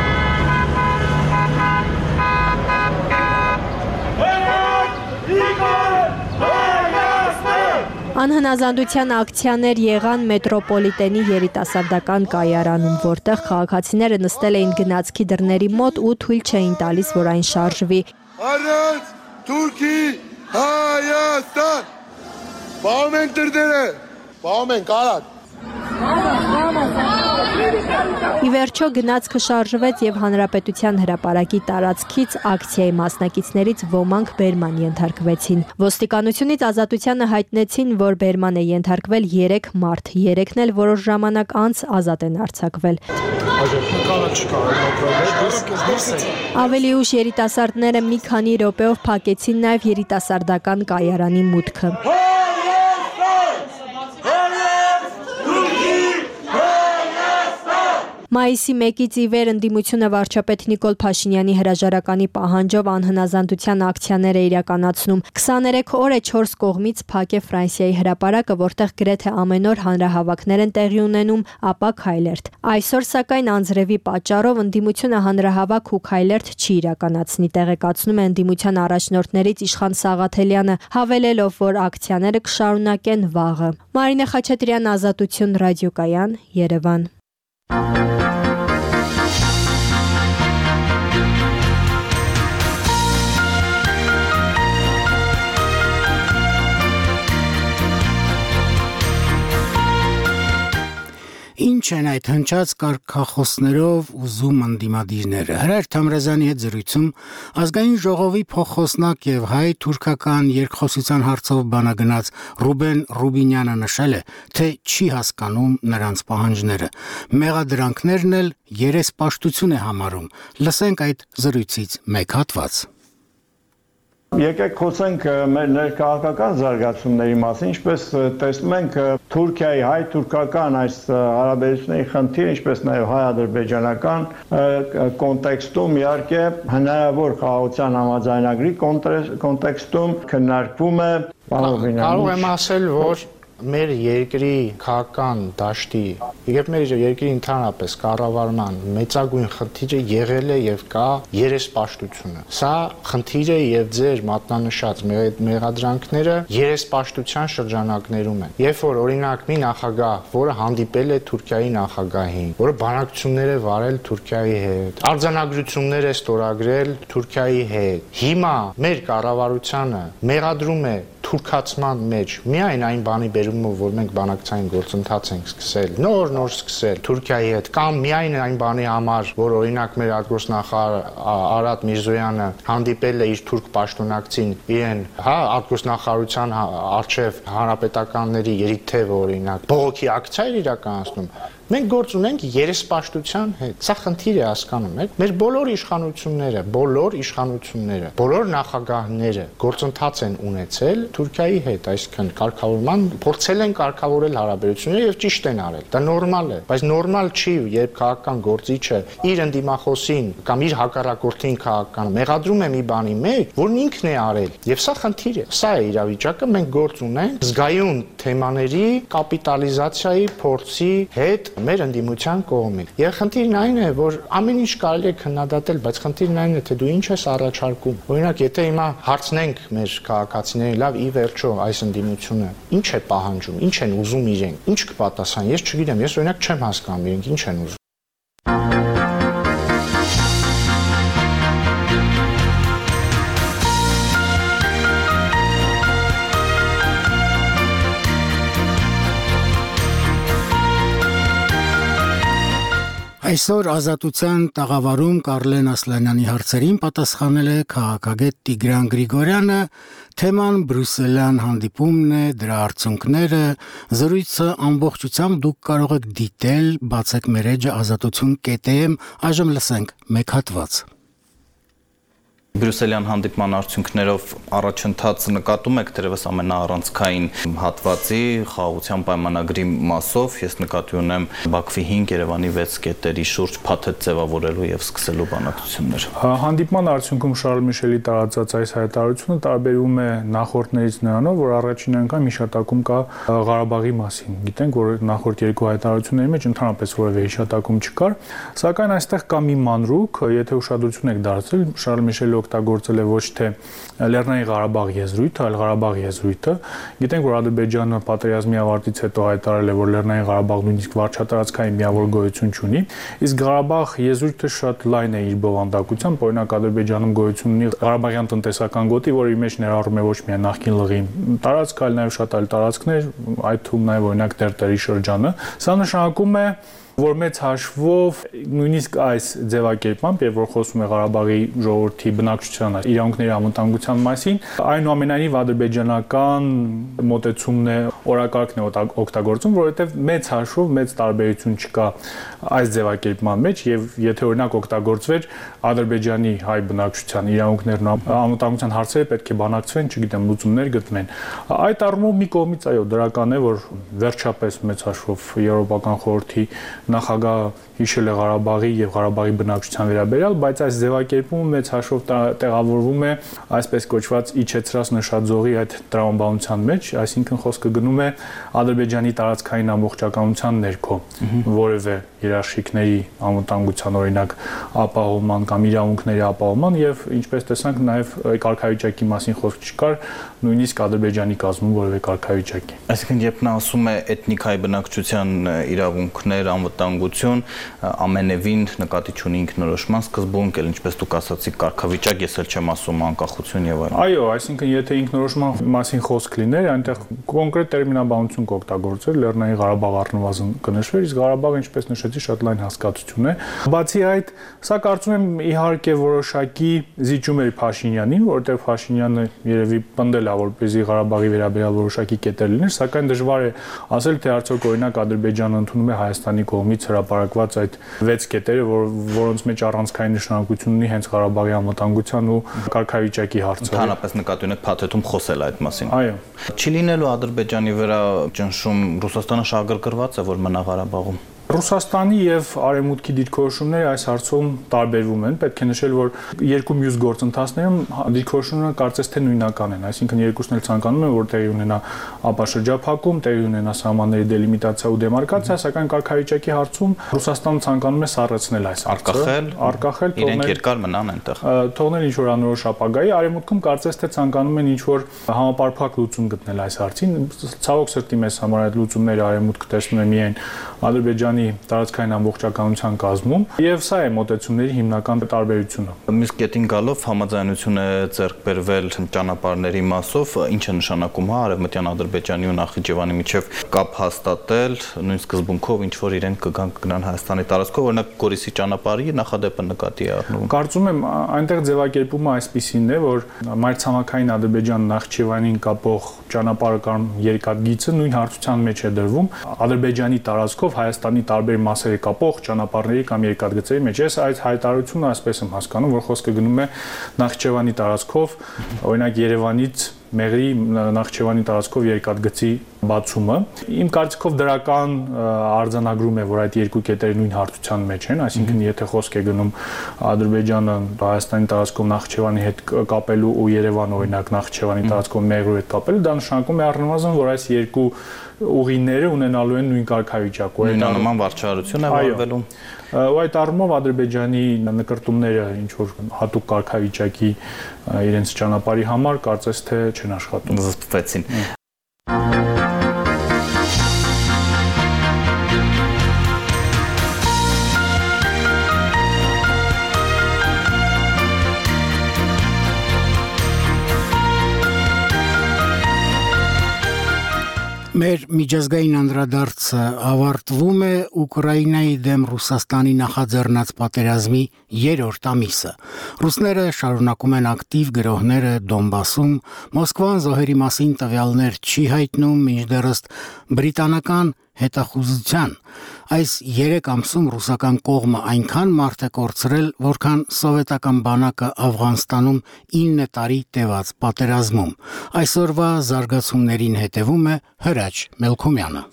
S11: Անհնազանդության ակցիաներ եղան մետրոպոլիտենի երիտասարդական կայարանում, որտեղ քաղաքացիները նստել էին գնացքի դռների մոտ ու թույլ չէին տալիս, որ այն շարժվի։
S10: Առանց Թուրքի Հայաստան։ Բաղում են դռները, Պահում ենք արագ։
S11: Ի վերջո գնացքը շարժվեց եւ հանրապետության հրապարակի տարածքից ակցիայի մասնակիցներից ոմանք բերման ենթարկվեցին։ Ոստիկանությունից Ազատությանը հայտնեցին, որ բերման է ենթարկվել 3 մարդ, 3-ն էլ որոշ ժամանակ անց ազատ են արձակվել։ Ավելի ուշ երիտասարդները մի քանի րոպեով փակեցին նաեւ երիտասարդական կայարանի մուտքը։ Մայիսի 1-ից ի վեր ընդդիմությունը վարչապետ Նիկոլ Փաշինյանի հրաժարականի պահանջով անհնազանդության ակցիաներ է իրականացնում։ 23 օր է 4 կողմից փակ է Ֆրանսիայի հրապարակը, որտեղ գրեթե ամեն օր հանրահավաքներ են տեղի ունենում, ապա քայլերթ։ Այսօր սակայն անձրևի պատճառով ընդդիմությունը հանրահավաք ու քայլերթ չի իրականացնի, տեղեկացնում է ընդդիմության առաջնորդներից Իշխան Սաղաթելյանը, հավելելով, որ ակցիաները կշարունակեն վաղը։ Մարինե Խաչատրյան, Ազատություն, ռադիոկայան, Երևան։
S1: Ինչ են այդ հնչած կարգախոսներով ուզում ընդդիմադիրները։ Հրայր Թամրազյանի հետ զրույցում ազգային ժողովի փոխխոսնակ եւ հայ-թուրքական երկխոսության հարցով բանագնաց Ռուբեն Ռուբինյանը նշել է, թե չի հասկանում նրանց պահանջները։ Մեղադրանքներն էլ երեսպաշտություն է համարում։ Լսենք այդ զրույցից մեկ հատված։
S12: Եկեք խոսենք մեր ներքաղաքական զարգացումների մասին, ինչպես տեսնում ենք Թուրքիայի հայ-թուրքական այս հարաբերությունների խնդիրը, ինչպես նաև հայ-ադրբեջանական կոնտեքստում իհարկե հնարավոր խաղաղության համաձայնագրի կոնտեքստում քննարկվում է։
S13: Կարող եմ ասել, որ մեր երկրի քաղաքական դաշտի եւ մեր երկրի ընդհանրապես կառավարման մեծագույն խնդիրը եղել է եւ կա երեսպաշտությունը։ Սա խնդիրը եւ ձեր մատնանշած մեղադրանքները երեսպաշտության շրջանակներում են։ Երբ որ օրինակ մի նախագահ, որը հանդիպել է Թուրքիայի նախագահին, որը բանակցություններ է վարել Թուրքիայի հետ, արձանագրություններ է ստորագրել Թուրքիայի հետ, հիմա մեր կառավարությանը մեղադրում է թուրքացման մեջ միայն այն բանի բերումով, որ մենք բանակցային գործընթաց ենք սկսել, նոր սկսել Թուրքիայի հետ, կամ միայն այն բանի համար, որ օրինակ մեր արտգործնախարար Արադ Միրզոյանը հանդիպել է իր թուրք պաշտոնակցին իրեն, արտգործնախարարության արչև հանրապետականների երիթև օրինակ բողոքի ակցիա էր իրականացնում։ Մենք գործ ունենք երեսպաշտության հետ։ Սա խնդիր է հասկանում եք։ Մեր բոլոր իշխանությունները, բոլոր նախագահները գործընթաց են ունեցել Թուրքիայի հետ, այսինքն կարգավորման փորձել են կարգավորել հարաբերությունները եւ ճիշտ են արել։ Դա նորմալ է, բայց նորմալ չի, երբ քաղաքական գործիչը իր ընդդիմախոսին կամ իր հակառակորդին քաղաքական մեղադրում է մի բանի մեջ, որն ինքն է արել։ Եվ սա խնդիր է։ Սա է իրավիճակը, մենք գործ ունենք զգայուն թեմաների կապիտալիզացիայի փորձի հետ մեր ընդդիմության կողմից։ Եվ խնդիրն այն է, որ ամեն ինչ կարելի է քննադատել, բայց խնդիրն այն է, թե դու ինչ ես առաջարկում։ Օրինակ, եթե հիմա հարցնենք մեր քաղաքացիներին, լավ, ի վերջո այս ընդդիմությունը ինչ է պահանջում, ինչ են ուզում իրենք, ինչ կպատասխան, ես չգիտեմ, ես օրինակ չեմ հասկանում իրենք ինչ են ուզում։
S1: Այսօր Ազատության տաղավարում Կարլեն Ասլանյանի հարցերին պատասխանել է քաղաքագետ Տիգրան Գրիգորյանը, թեման բրյուսելյան հանդիպումն է, դրա արդյունքները, զրույցը ամբողջությամբ դուք կարող եք դիտել, բացեք մեր էջը azatutun.am, այժմ լսենք մեկ հատված։
S14: Բրյուսելյան հանդիպման արդյունքներով առաջընթաց նկատում եք դերևս ամենաառանցքային հատվածի խաղաղության պայմանագրի մասով ես նկատի ունեմ Բաքվի 5 Երևանի 6 կետերի շուրջ փաթեթ ձևավորելու եւ սկսելու բանակցություններ։
S15: Հանդիպման արդյունքում Շարլ Միշելի տարածած այս հայտարարությունը տարբերվում է նախորդներից նրանով, որ առաջին անգամ հիշատակում կա Ղարաբաղի մասին։ Գիտենք, որ նախորդ երկու հայտարարությունների մեջ ընդհանրապես որևէ հիշատակում չկար, սակայն այստեղ կա մի մանրուք, եթե ուշադրություն եք դարձրել, Շարլ Միշելը օգտագործել է ոչ թե Լեռնային Ղարաբաղ եզրույթը, այլ Ղարաբաղ եզրույթը։ Գիտենք, որ Ադրբեջանը պատերազմի ավարտից հետո հայտարարել է, որ Լեռնային Ղարաբաղն նույնիսկ վարչատարածքային միավոր գոյություն չունի, իսկ Ղարաբաղ եզրույթը շատ լայն է իր բովանդակությամբ, օրինակ Ադրբեջանում գոյություն ունի Ղարաբաղյան տնտեսական գոտի, որը իր մեջ ներառում է ոչ միայն նախկին լղի տարածք, այլ նաև շատ այլ տարածքներ, այդ թվում նաև օրինակ Տերտերի շրջանը։ Սա նշանակում է, որ մեծ հաշվով նույնիսկ այս ձևակերպմամբ, երբ որ խոսում է Ղարաբաղի ժողովրդի բնակչության իրավունքների անվտանգության մասին, այնուամենայնիվ ադրբեջանական մոտեցումն է, օրակարգն է օգտագործում, որովհետև մեծ հաշվով մեծ տարբերություն չկա այս ձևակերպման մեջ, եւ եթե օրինակ օգտագործվեր Ադրբեջանի հայ բնակչության իրավունքներն անվտանգության հարցերը պետք է բանակցվեն, չգիտեմ, լուծումներ գտնվեն։ Այդ առումով մի կողմից այո, դրական է, որ վերջապես մեծ հաշվով Եվրոպական խորհրդի նախագահը հիշել է Ղարաբաղի եւ Ղարաբաղի բնակչության վերաբերյալ, բայց այս ձևակերպումը մեծ հաշվով տեղավորվում է այսպես կոչված իջեցրած նշաձողի այդ տրամաբանության մեջ, այսինքն խոսքը գնում է Ադրբեջանի տարածքային ամբողջականության ներքո որևէ երաշխիքների անվտանգության օրինակ ապահովման կամ իրավունքների ապահովման եւ ինչպես տեսանք նաեւ կարգավիճակի մասին խոսք չկար նույնիսկ Ադրբեջանի կազմում որևէ կարգավիճակի։
S14: Այսինքն երբ նա ասում է էթնիկայի բնակչության իրավունքներ, անվտանգություն, ամենևին նկատի չունի ինքնորոշման սկզբունք, էլ ինչպես դուք ասացիք, կարգավիճակ, ես էլ չեմ ասում անկախություն եւ այլն։
S15: Այո, այսինքն եթե ինքնորոշման մասին խոսք լիներ, այնտեղ կոնկրետ տերմինաբանություն կօգտագործեր, Լեռնային Ղարաբաղ առնվազն կնշվեր, իսկ Ղարաբաղը, ինչպես նշեցի, շատ լայն հասկացություն է։ Բացի այդ, սա կարծում եմ իհարկե որոշակի զիջում էր Փաշինյանին, որովհետեւ Փաշինյանը երևի պնդել է, որպեսզի Ղարաբաղի վերաբերյալ որոշակի կետեր լիներ, սակայն դժվար է ասել, թե արդյոք օրինակ Ադրբեջանը ընդունում է Հայաստանի կողմից հրապարակված այդ 6 կետերը, որոնց մեջ առանցքային նշանակություն ունի հենց Ղարաբաղի անվտանգության ու կարգավիճակի հարցը։
S14: Ընդհանրապես նկատի ունեք փաթեթում խոսել այդ մասին։
S15: Այո։
S14: Չի լինելու Ադրբեջանի վրա ճնշում, Ռուսաստանը շահագրգռված է, որ մնա Ղարաբաղում։
S15: Ռուսաստանի եւ Արևմուտքի դիրքորոշումները այս հարցում տարբերվում են։ Պետք է նշել, որ երկու մյուս գործընթացներում դիրքորոշումները կարծես թե նույնական են, այսինքն երկուսն էլ ցանկանում են, որ տեղի ունենա ապաշրջափակում, տեղի ունենա սահմանների դելիմիտացիա ու դեմարկացիա, սակայն կարգավիճակի հարցում Ռուսաստանը ցանկանում է սառեցնել այս հարցը, արկախել,
S14: իրենք երկար մնան այնտեղ։
S15: Թողնել ինչ որ անորոշ ապագայի, Արևմուտքում կարծես թե ցանկանում են ինչ որ համապարփակ լուծում գտնել այս հարցին։ Ցավոք սրտի մեզ համար այդ լուծումները Արևմուտքը տեսնում է միայն Ադրբեջանի տարածքային ամբողջականության կազմում եւ սա է մոտեցումների հիմնական տարբերությունը։
S14: Մյուս կետին գալով համաձայնություն է ձեռք բերվել ճանապարհների մասով, ինչ է նշանակում, հա, Արևմտյան Ադրբեջանի ու Նախիջևանի միջև կապ հաստատել, նույն սկզբունքով ինչ որ իրենք կգնան Հայաստանի տարածքով, օրինակ Գորիսի ճանապարհի նախադեպը նկատի է առնվում։
S15: Կարծում եմ այնտեղ ձևակերպումը այսպիսին է, որ մայրցամաքային Ադրբեջան-Նախիջևանին կապող ճանապարհը կամ երկաթգիծը նույն հարթության մեջ է դրվում Ադրբեջանի տարածքով Հայաստանի տարբեր մասերի կապող ճանապարհների կամ երկաթգծերի մեջ։ Ես այդ հայտարարությունը այսպես եմ հասկանում, որ խոսքը գնում է Նախիջևանի տարածքով, օրինակ Երևանից Մեղրի Նախիջևանի տարածքով երկաթգծի բացումը։ Իմ կարծիքով դրական արձանագրում է, որ այդ երկու կետերը նույն հարթության մեջ են, այսինքն եթե խոսք է գնում Ադրբեջանը Հայաստանի տարածքով Նախիջևանի հետ կապելու ու Երևանը օրինակ Նախիջևանի տարածքով Մեղրու հետ կապելու, դա նշանակում է առնվազն, որ այս երկու ուղիները ունենալու են նույն կարգավիճակ,
S14: նույնանման վարչարություն է վարվելու։
S15: Ու այդ առումով Ադրբեջանի նկրտումները ինչ որ հատուկ կարգավիճակի իրենց ճանապարհի համար կարծես թե չեն աշխատում։
S14: Զսպվեցին։
S1: Մեր միջազգային անդրադարձը ավարտվում է Ուկրաինայի դեմ Ռուսաստանի նախաձեռնած պատերազմի 3-րդ ամիսը։ Ռուսները շարունակում են ակտիվ գրոհները Դոնբասում, Մոսկվան զոհերի մասին տվյալներ չի հայտնում, մինչդեռս բրիտանական հետախուզության այս 3 ամսում ռուսական կողմը այնքան մարդ է կորցրել, որքան սովետական բանակը Աֆղանստանում 9 տարի տևած պատերազմում։ Այսօրվա զարգացումներին հետևում է Հրաչ Մելքոմյանը։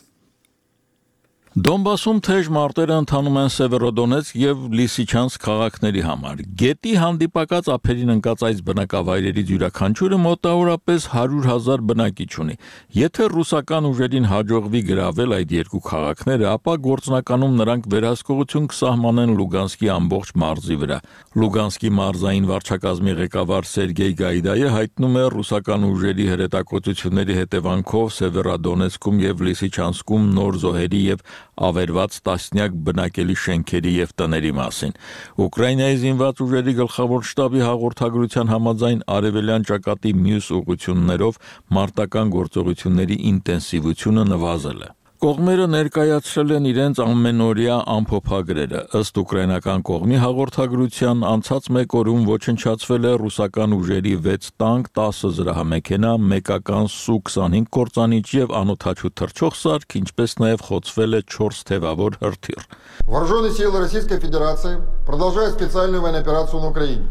S16: Դոնբասում թեժ մարտերը ընթանում են Սևերոդոնեցկ եւ Լիսիչանսկ քաղաքների համար։ Գետի հանդիպակաց ափերին ընկած այս բնակավայրերից յուրաքանչյուրը մոտավորապես 100,000 բնակիչ ունի։ Եթե ռուսական ուժերին հաջողվի գրավել այդ երկու քաղաքները, ապա գործնականում նրանք վերահսկողություն կսահմանեն Լուգանսկի ամբողջ մարզի վրա։ Լուգանսկի մարզային վարչակազմի ղեկավար Սերգեյ Գայդայը հայտնում է ռուսական ուժերի հրետակոծությունների հետևանքով Սևերոդոնեցկում եւ Լիսիչանսկում նոր զոհերի եւ ավերված տասնյակ բնակելի շենքերի եւ տների մասին։ Ուկրաինայի զինված ուժերի գլխավոր շտաբի հաղորդագրության համաձայն արևելյան ճակատի մյուս ուղղություններով մարտական գործողությունների ինտենսիվությունը նվազել է։ Կողմերը ներկայացրել են իրենց ամենօրյա ամփոփագրերը։ Ըստ ուկրաինական կողմի հաղորդագրության անցած մեկ օրում ոչնչացվել է ռուսական ուժերի 6 տանկ, 10 զրահամեքենա, մեկական Su-25 կործանիչ եւ անօդաչու թռչող սարք, ինչպես նաեւ խոցվել է 4 թևավոր հրթիռ։
S17: Вооруженные силы Российской Федерации продолжают специальную военную операцию на Украине.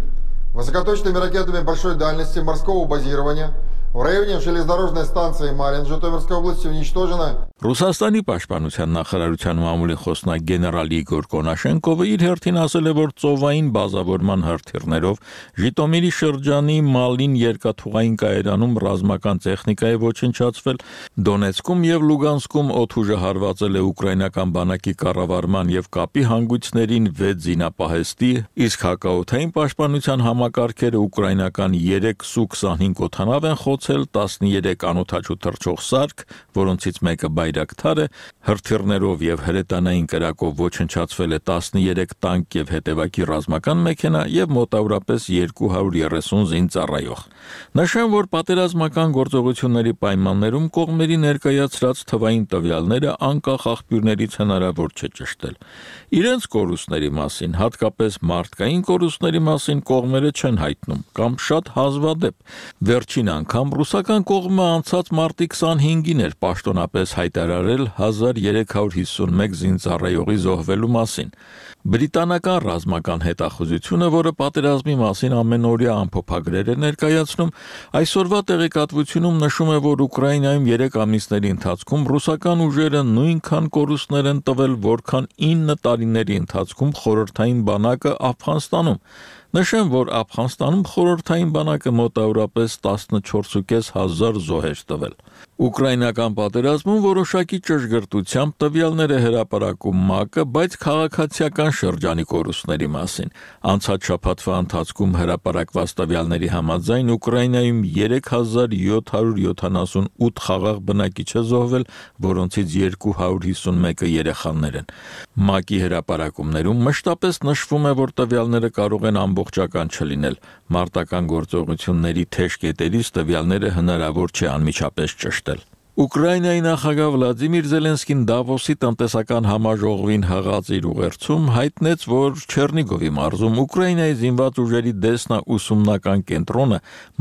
S17: Высокоточными ракетами большой дальности морского базирования в районе железнодорожной станции Марин Житомирской области уничтожено.
S16: Ռուսաստանի պաշտպանության նախարարության մամուլի խոսնակ գեներալ Իգոր Կոնաշենկովը իր հերթին ասել է, որ ծովային բազավորման հրթիռներով Ժիտոմիրի շրջանի Մալին երկաթուղային կայարանում ռազմական տեխնիկա է ոչնչացվել, Դոնեցկում եւ Լուգանսկում օդուժը հարվածել է ուկրաինական բանակի կառավարման եւ կապի հանգույցներին 6 զինապահեստի, իսկ հակաօդային պաշտպանության համակարգերը ուկրաինական 3 Su-25 օդանավ են խոցել, 13 անօդաչու թռչող սարք, որոնցից մեկը Բայրակթար է, հրթիռներով եւ հրետանային կրակով ոչնչացվել է 13 տանկ եւ հետեւակի ռազմական մեքենա եւ մոտավորապես 230 զինծառայող։ Նշեմ, որ պատերազմական գործողությունների պայմաններում կողմերի ներկայացրած թվային տվյալները անկախ աղբյուրներից հնարավոր չէ ճշտել։ Իրենց կորուստների մասին, հատկապես մարդկային կորուստների մասին կողմերը չեն հայտնում կամ շատ հազվադեպ։ Վերջին անգամ ռուսական կողմը անցած մարտի 25-ին էր պաշտոնապես հայտարարել 1351 զինծառայողի զոհվելու մասին։ Բրիտանական ռազմական հետախուզությունը, որը պատերազմի մասին ամենօրյա ամփոփագրեր է ներկայացնում, այսօրվա տեղեկատվությունում նշում է, որ Ուկրաինայում 3 ամիսների ընթացքում ռուսական ուժերը նույնքան կորուստներ են տվել, որքան 9 տարիների ընթացքում խորհրդային բանակը Աֆղանստանում։ Նշեմ, որ Աֆղանստանում խորհրդային բանակը մոտավորապես 14,500 զոհեր տվել։ Ուկրաինական պատերազմում որոշակի ճշգրտությամբ տվյալներ է հրապարակում ՄԱԿ-ը, բայց քաղաքացիական շրջանի կորուստների մասին։ Անցած շաբաթվա ընթացքում հրապարակված տվյալների համաձայն Ուկրաինայում 3778 խաղաղ բնակիչ է զոհվել, որոնցից 251-ը երեխաներ են։ ՄԱԿ-ի հրապարակումներում մշտապես նշվում է, որ տվյալները կարող են ամբողջական չլինել։ Մարտական գործողությունների թեժ կետերից տվյալները հնարավոր չէ անմիջապես ճշտել։ Ուկրաինայի նախագահ Վլադիմիր Զելենսկին Դավոսի տնտեսական համաժողովին հղած իր ուղերձում հայտնեց, որ Չեռնիգովի մարզում Ուկրաինայի զինված ուժերի դեսնաուսումնական կենտրոնը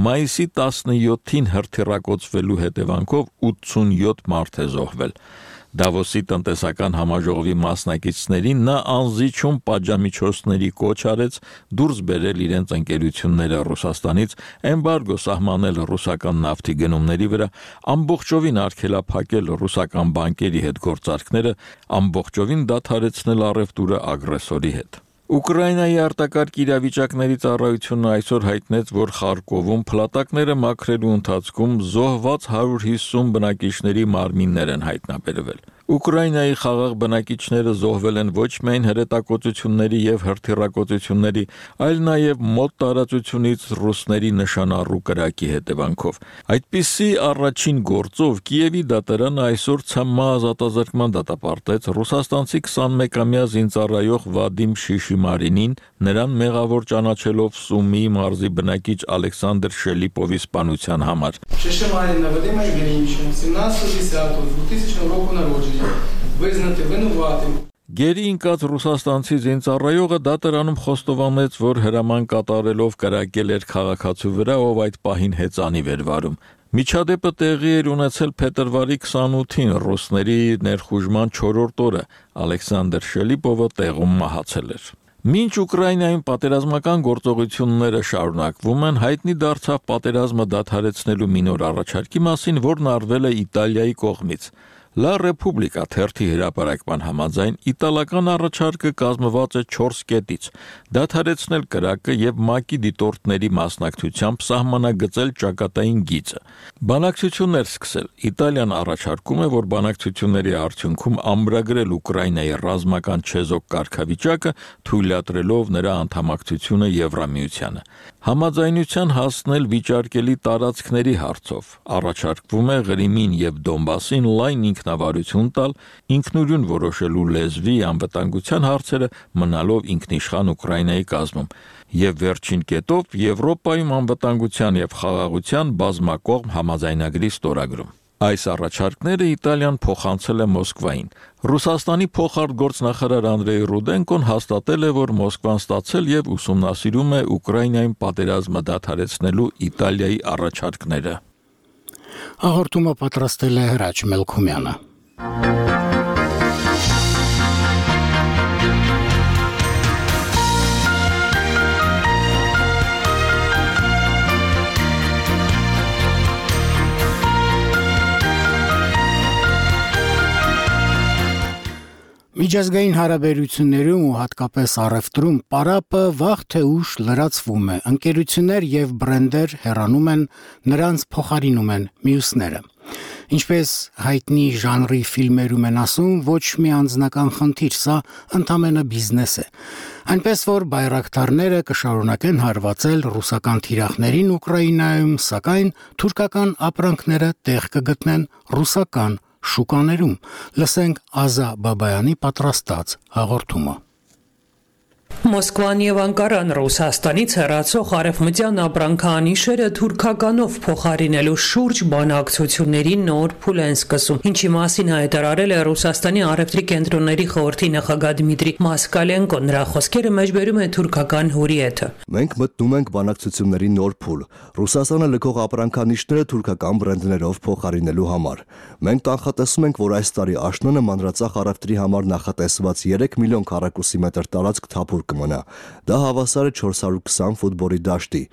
S16: մայիսի 17-ին հրթիռակոծվելու հետևանքով 87 մարդ է զոհվել։ Դավոսի տնտեսական համաժողովի մասնակիցներին նա անզիջում պատժամիջոցների կոչ արեց դուրս բերել իրենց ընկերությունները Ռուսաստանից, էմբարգո սահմանել ռուսական նավթի գնումների վրա, ամբողջովին արգելափակել ռուսական բանկերի հետ գործարքները, ամբողջովին դադարեցնել առևտուրը ագրեսորի հետ։ Ուկրաինայի արտակարգ իրավիճակների ծառայությունը այսօր հայտնեց, որ Խարկովում փլատակները մաքրելու ընթացքում զոհված 150 բնակիչների մարմիններ են հայտնաբերվել։ Ուկրաինայի խաղաղ բնակիչները զոհվել են ոչ միայն հրետակոծությունների եւ հրթիռակոծությունների, այլ նաեւ մոտ տարածությունից ռուսների նշանառու կրակի հետևանքով։ Այդպիսի առաջին գործով Կիևի դատարանը այսօր ՑՄ ազատազրկման դատապարտեց ռուսաստանցի 21-ամյա զինծառայող Վադիմ Շիշիմարինին, նրան մեղավոր ճանաչելով Սումիի մարզի բնակիչ Ալեքսանդր Շելիպովի սպանության համար։
S18: Шишимарина Вадима Евгеньевича, 17.10.2000 року народжения. Визнати винуватим.
S16: Գերի ընկած ռուսաստանցի զինծառայողը դատարանում խոստովանեց, որ հրաման կատարելով կրակել էր քաղաքացու վրա, ով այդ պահին հեծանիվ էր վարում։ Միջադեպը տեղի էր ունեցել փետրվարի 28-ին ռուսների ներխուժման 4-րդ օրը։ Ալեքսանդր Շելիպովը տեղում մահացել էր։ Մինչ Ուկրաինայում պատերազմական գործողությունները շարունակվում են, հայտնի դարձավ պատերազմը դադարեցնելու մի նոր առաջարկի մասին, որն արվել է Իտալիայի կողմից։ La Repubblica թերթի հրապարակման համաձայն իտալական առաջարկը կազմված է 4 կետից՝ դադարեցնել կրակը եւ ՄԱԿ-ի դիտորդների մասնակցությամբ սահմանագծել ճակատային գիծը։ Բանակցություններ սկսել։ Իտալիան առաջարկում է, որ բանակցությունների արդյունքում ամրագրել Ուկրաինայի ռազմական չեզոք կարգավիճակը, թույլատրելով նրա անդամակցությունը Եվրամիությանը։ Համաձայնության հասնել վիճարկելի տարածքների հարցով։ Առաջարկվում է Ղրիմին եւ Դոնբասին լայն ինքնավարություն տալ, ինքնուրույն որոշելու լեզվի անվտանգության հարցերը մնալով ինքնիշխան Ուկրաինայի կազմում, եւ վերջին կետով Եվրոպայում անվտանգության եւ խաղաղության բազմակողմ համաձայնագրի ստորագրում։ Այս առաջարկները Իտալիան փոխանցել է Մոսկվային։ Ռուսաստանի փոխարտգործնախարար Անդրեյ Ռուդենկոն հաստատել է, որ Մոսկվան ստացել եւ ուսումնասիրում է Ուկրաինայում պատերազմը դադարեցնելու Իտալիայի առաջարկները։
S1: Հաղորդումը պատրաստել է Հրաչ Մելքումյանը։ Միջազգային հարաբերություններում ու հատկապես առևտրում պարապը վաղ թե ուշ լրացվում է, ընկերություններ եւ բրենդեր հեռանում են, նրանց փոխարինում են մյուսները։ Ինչպես հայտնի ժանրի ֆիլմերում են ասում, ոչ մի անձնական խնդիր, սա ընդամենը բիզնես է։ Այնպես որ բայրակտարները կշարունակեն հարվածել ռուսական թիրախներին Ուկրաինայում, սակայն թուրքական ապրանքները տեղ կգտնեն ռուսական շուկաներում։ Լսենք Ազա Բաբայանի պատրաստած հաղորդումը։
S19: Մոսկվան եւ Անկարան Ռուսաստանից հեռացող արևմտյան ապրանքանիշերը թուրքականով փոխարինելու շուրջ բանակցությունների նոր փուլ են սկսում, ինչի մասին հայտարարել է Ռուսաստանի արևտրի կենտրոնների խորհրդի նախագահ Դմիտրի Մասկալենկոն։ Նրա խոսքերը մեջբերում է թուրքական հուրիեթը։
S20: Մենք մտնում ենք բանակցությունների նոր փուլ։ Ռուսաստանը լքող ապրանքանիշները թուրքական բրենդներով փոխարինելու համար։ Մենք կանխատեսում ենք, որ այս տարի աշնանը մանրածախ արևտրի համար նախատեսված 3 միլիոն քառակուսի մետր տարածք թափուր կմնա։ Դա հավասար է 420 ֆուտբոլի դաշտի։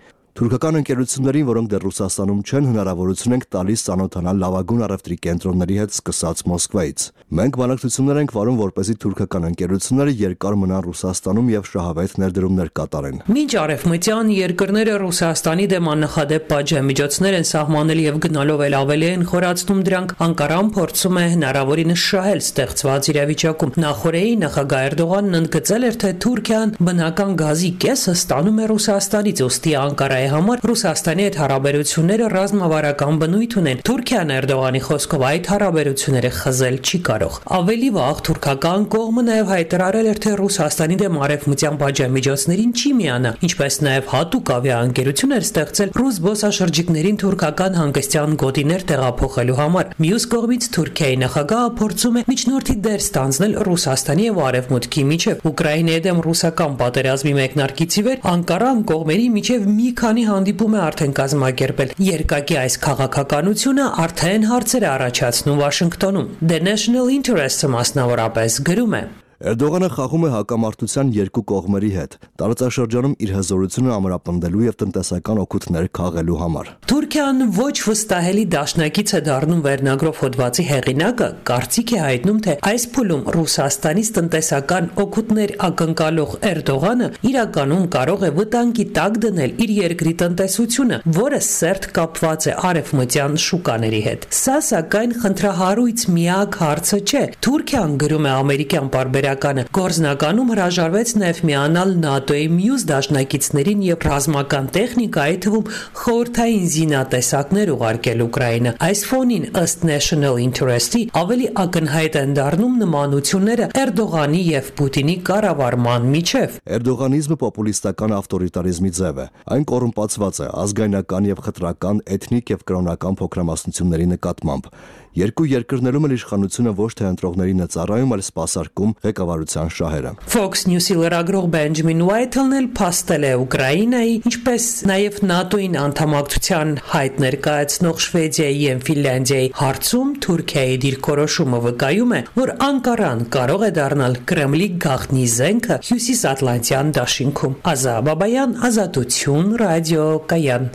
S20: Թուրքական ընկերություններին, որոնք դեռ Ռուսաստանում չեն, հնարավորություն ենք տալիս ծանոթանալ լավագույն առևտրի կենտրոնների հետ սկսած Մոսկվայից։ Մենք բանակցություններ ենք վարում, որպեսզի թուրքական ընկերությունները երկար մնան Ռուսաստանում եւ շահավետ ներդրումներ կատարեն։
S19: Մինչ արևմտյան երկրները Ռուսաստանի դեմ աննախադեպ պատժամիջոցներ են սահմանել եւ գնալով էլ ավելի են խորացնում դրանք, Անկարան փորձում է հնարավորինս շահել ստեղծված իրավիճակում։ Նախորդեի նախագահ Էրդողանն ընդգծել էր, թե Թուրքիան բնական գազի կեսը ստանում է Ռուսաստանից, ուստի Անկարայի համար Ռուսաստանի հետ հարաբերությունները ռազմավարական բնույթ ունեն։ Թուրքիան Էրդողանի խոսքով այդ հարաբերությունները խզել չի կարող։ Ավելի վաղ թուրքական կողմը նաև հայտարարել էր, թե Ռուսաստանի դեմ արևմտյան պատժամիջոցներին չի միանա, ինչպես նաև հատուկ ավիաընկերություններ ստեղծել ռուս զբոսաշրջիկներին թուրքական հանգստյան գոտիներ տեղափոխելու համար։ Մյուս կողմից Թուրքիայի նախագահը փորձում է միջնորդի դեր ստանձնել Ռուսաստանի եւ Արևմուտքի միջև։ Ուկրաինայի դեմ ռուսական պատերազմի մեկնարկից ի վեր Անկարան կողմերի միջև մի քանի հանդիպում է արդեն կազմակերպել։ Երկակի այս քաղաքականությունը արդեն հարցեր է առաջացնում Վաշինգտոնում։ The National Interest-ը մասնավորապես գրում է.
S20: Էրդողանը խաղում է հակամարտության երկու կողմերի հետ, տարածաշրջանում իր հզորությունը ամրապնդելու եւ տնտեսական օգուտներ քաղելու համար։
S19: Թուրքիան ոչ վստահելի դաշնակից է դառնում վերնագրով հոդվածի հեղինակը, կարծիք է հայտնում, թե այս փուլում Ռուսաստանից տնտեսական օգուտներ ակնկալող Էրդողանը իրականում կարող է վտանգի տակ դնել իր երկրի տնտեսությունը, որը սերտ կապված է արևմտյան շուկաների հետ։ Սա սակայն խնդրահարույց միակ հարցը չէ։ Թուրքիան գրում է ամերիկյան պարբերական Գործնականում հրաժարվեց նաև միանալ ՆԱՏՕ-ի մյուս դաշնակիցներին եւ ռազմական տեխնիկա, այդ թվում խորհրդային զինատեսակներ ուղարկել Ուկրաինա։ Այս ֆոնին ըստ National Interest-ի ավելի ակնհայտ են դառնում նմանությունները Էրդողանի եւ Պուտինի կառավարման միջև։
S20: Էրդողանիզմը պոպուլիստական ավտորիտարիզմի ձև է։ Այն կոռումպացված է ազգայնական եւ խտրական, էթնիկ եւ կրոնական փոքրամասնությունների նկատմամբ։ Երկու երկրներում էլ իշխանությունը ոչ թե ընտրողներին է ծառայում, այլ սպասարկում ղեկավարության շահերը։
S19: Fox News-ի լրագրող Բենջամին Ուայթլն էլ փաստել է Ուկրաինայի, ինչպես նաև ՆԱՏՕ-ին անդամակցության հայտ ներկայացնող Շվեդիայի եւ Ֆինլանդիայի հարցում Թուրքիայի դիրքորոշումը վկայում է, որ Անկարան կարող է դառնալ Կրեմլի գաղտնի զենքը Հյուսիսատլանտյան դաշինքում։ Ազա Բաբայան, Ազատություն, ռադիո Կայան։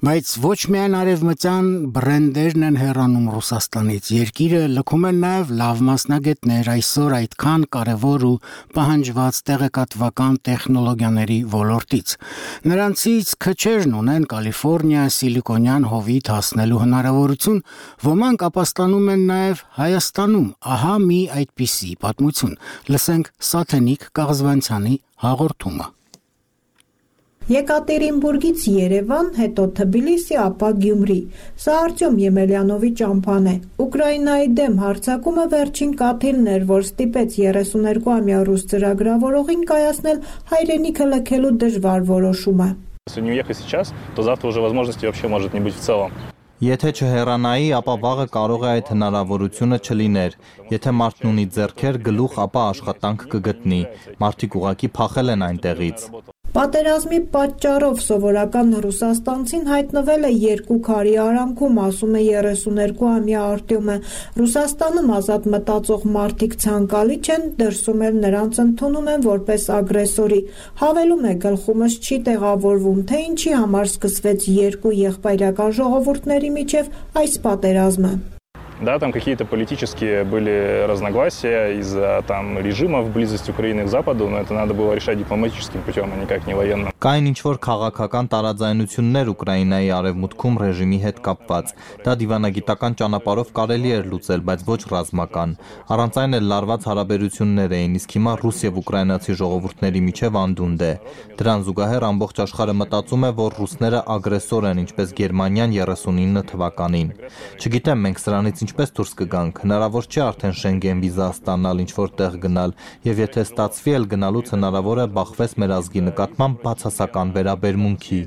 S1: Բայց ոչ միայն արևմտյան բրենդերն են հեռանում Ռուսաստանից, երկիրը լքում են նաև լավ մասնագետներ այսօր այդքան կարևոր ու պահանջված տեղեկատվական տեխնոլոգիաների ոլորտից։ Նրանցից քչերն ունեն Կալիֆոռնիա, Սիլիկոնյան հովիտ հասնելու հնարավորություն, ոմանք ապաստանում են նաև Հայաստանում, ահա մի այդպիսի պատմություն։ Լսենք Սաթենիկ Կաղզվանցյանի հաղորդումը։
S21: Եկատերինբուրգից Երևան, հետո Թբիլիսի, ապա Գյումրի։ Սա Արտյոմ Եմելյանովի ճամփան է։ Ուկրաինայի դեմ հարձակումը վերջին կաթիլն էր, որ ստիպեց 32-ամյա ռուս ծրագրավորողին կայացնել հայրենիքը լքելու դժվար որոշումը։
S22: Если не уехать сейчас, то завтра уже возможности вообще может не быть в целом.
S14: Եթե չհեռանայի, ապա վաղը կարող է այդ հնարավորությունը չլիներ։ Եթե մարդն ունի ձեռքեր, գլուխ, ապա աշխատանք կգտնի։ Մարդիկ ուղղակի փախել են այնտեղից։
S21: Պատերազմի պատճառով սովորական ռուսաստանցին հայտնվել է երկու քարի արանքում, ասում է 32-ամյա Արտյոմը։ Ռուսաստանում ազատ մտածող մարդիկ ցանկալի չեն, դրսում էլ նրանց ընդունում են որպես ագրեսորի։ Հավելում է, գլխումս չի տեղավորվում, թե ինչի համար սկսվեց երկու եղբայրական ժողովուրդների միջև այս պատերազմը։
S22: Да, там какие-то политические были разногласия из-за там режима в близости Украины к Западу, но это надо было решать дипломатическим путем, а никак не военным.
S14: Կային ինչ-որ քաղաքական տարաձայնություններ Ուկրաինայի արևմուտքում ռեժիմի հետ կապված։ Դա դիվանագիտական ճանապարհով կարելի էր լուծել, բայց ոչ ռազմական։ Առանց այն էլ լարված հարաբերություններ էին, իսկ հիմա ռուս եւ ուկրաինացի ժողովուրդների միջև անդունդ է։ Դրան զուգահեռ ամբողջ աշխարհը մտածում է, որ ռուսները ագրեսոր են, ինչպես Գերմանիան 39 թվականին։ Չգիտեմ, մենք սրանից ինչպես դուրս կգանք, հնարավոր չէ արդեն Շենգեն վիզա ստանալ, ինչ-որ տեղ գնալ, եւ եթե ստացվի էլ գնալուց հնարավոր է բախվես մեր ազգի նկատմամբ բացասական վերաբերմունքի։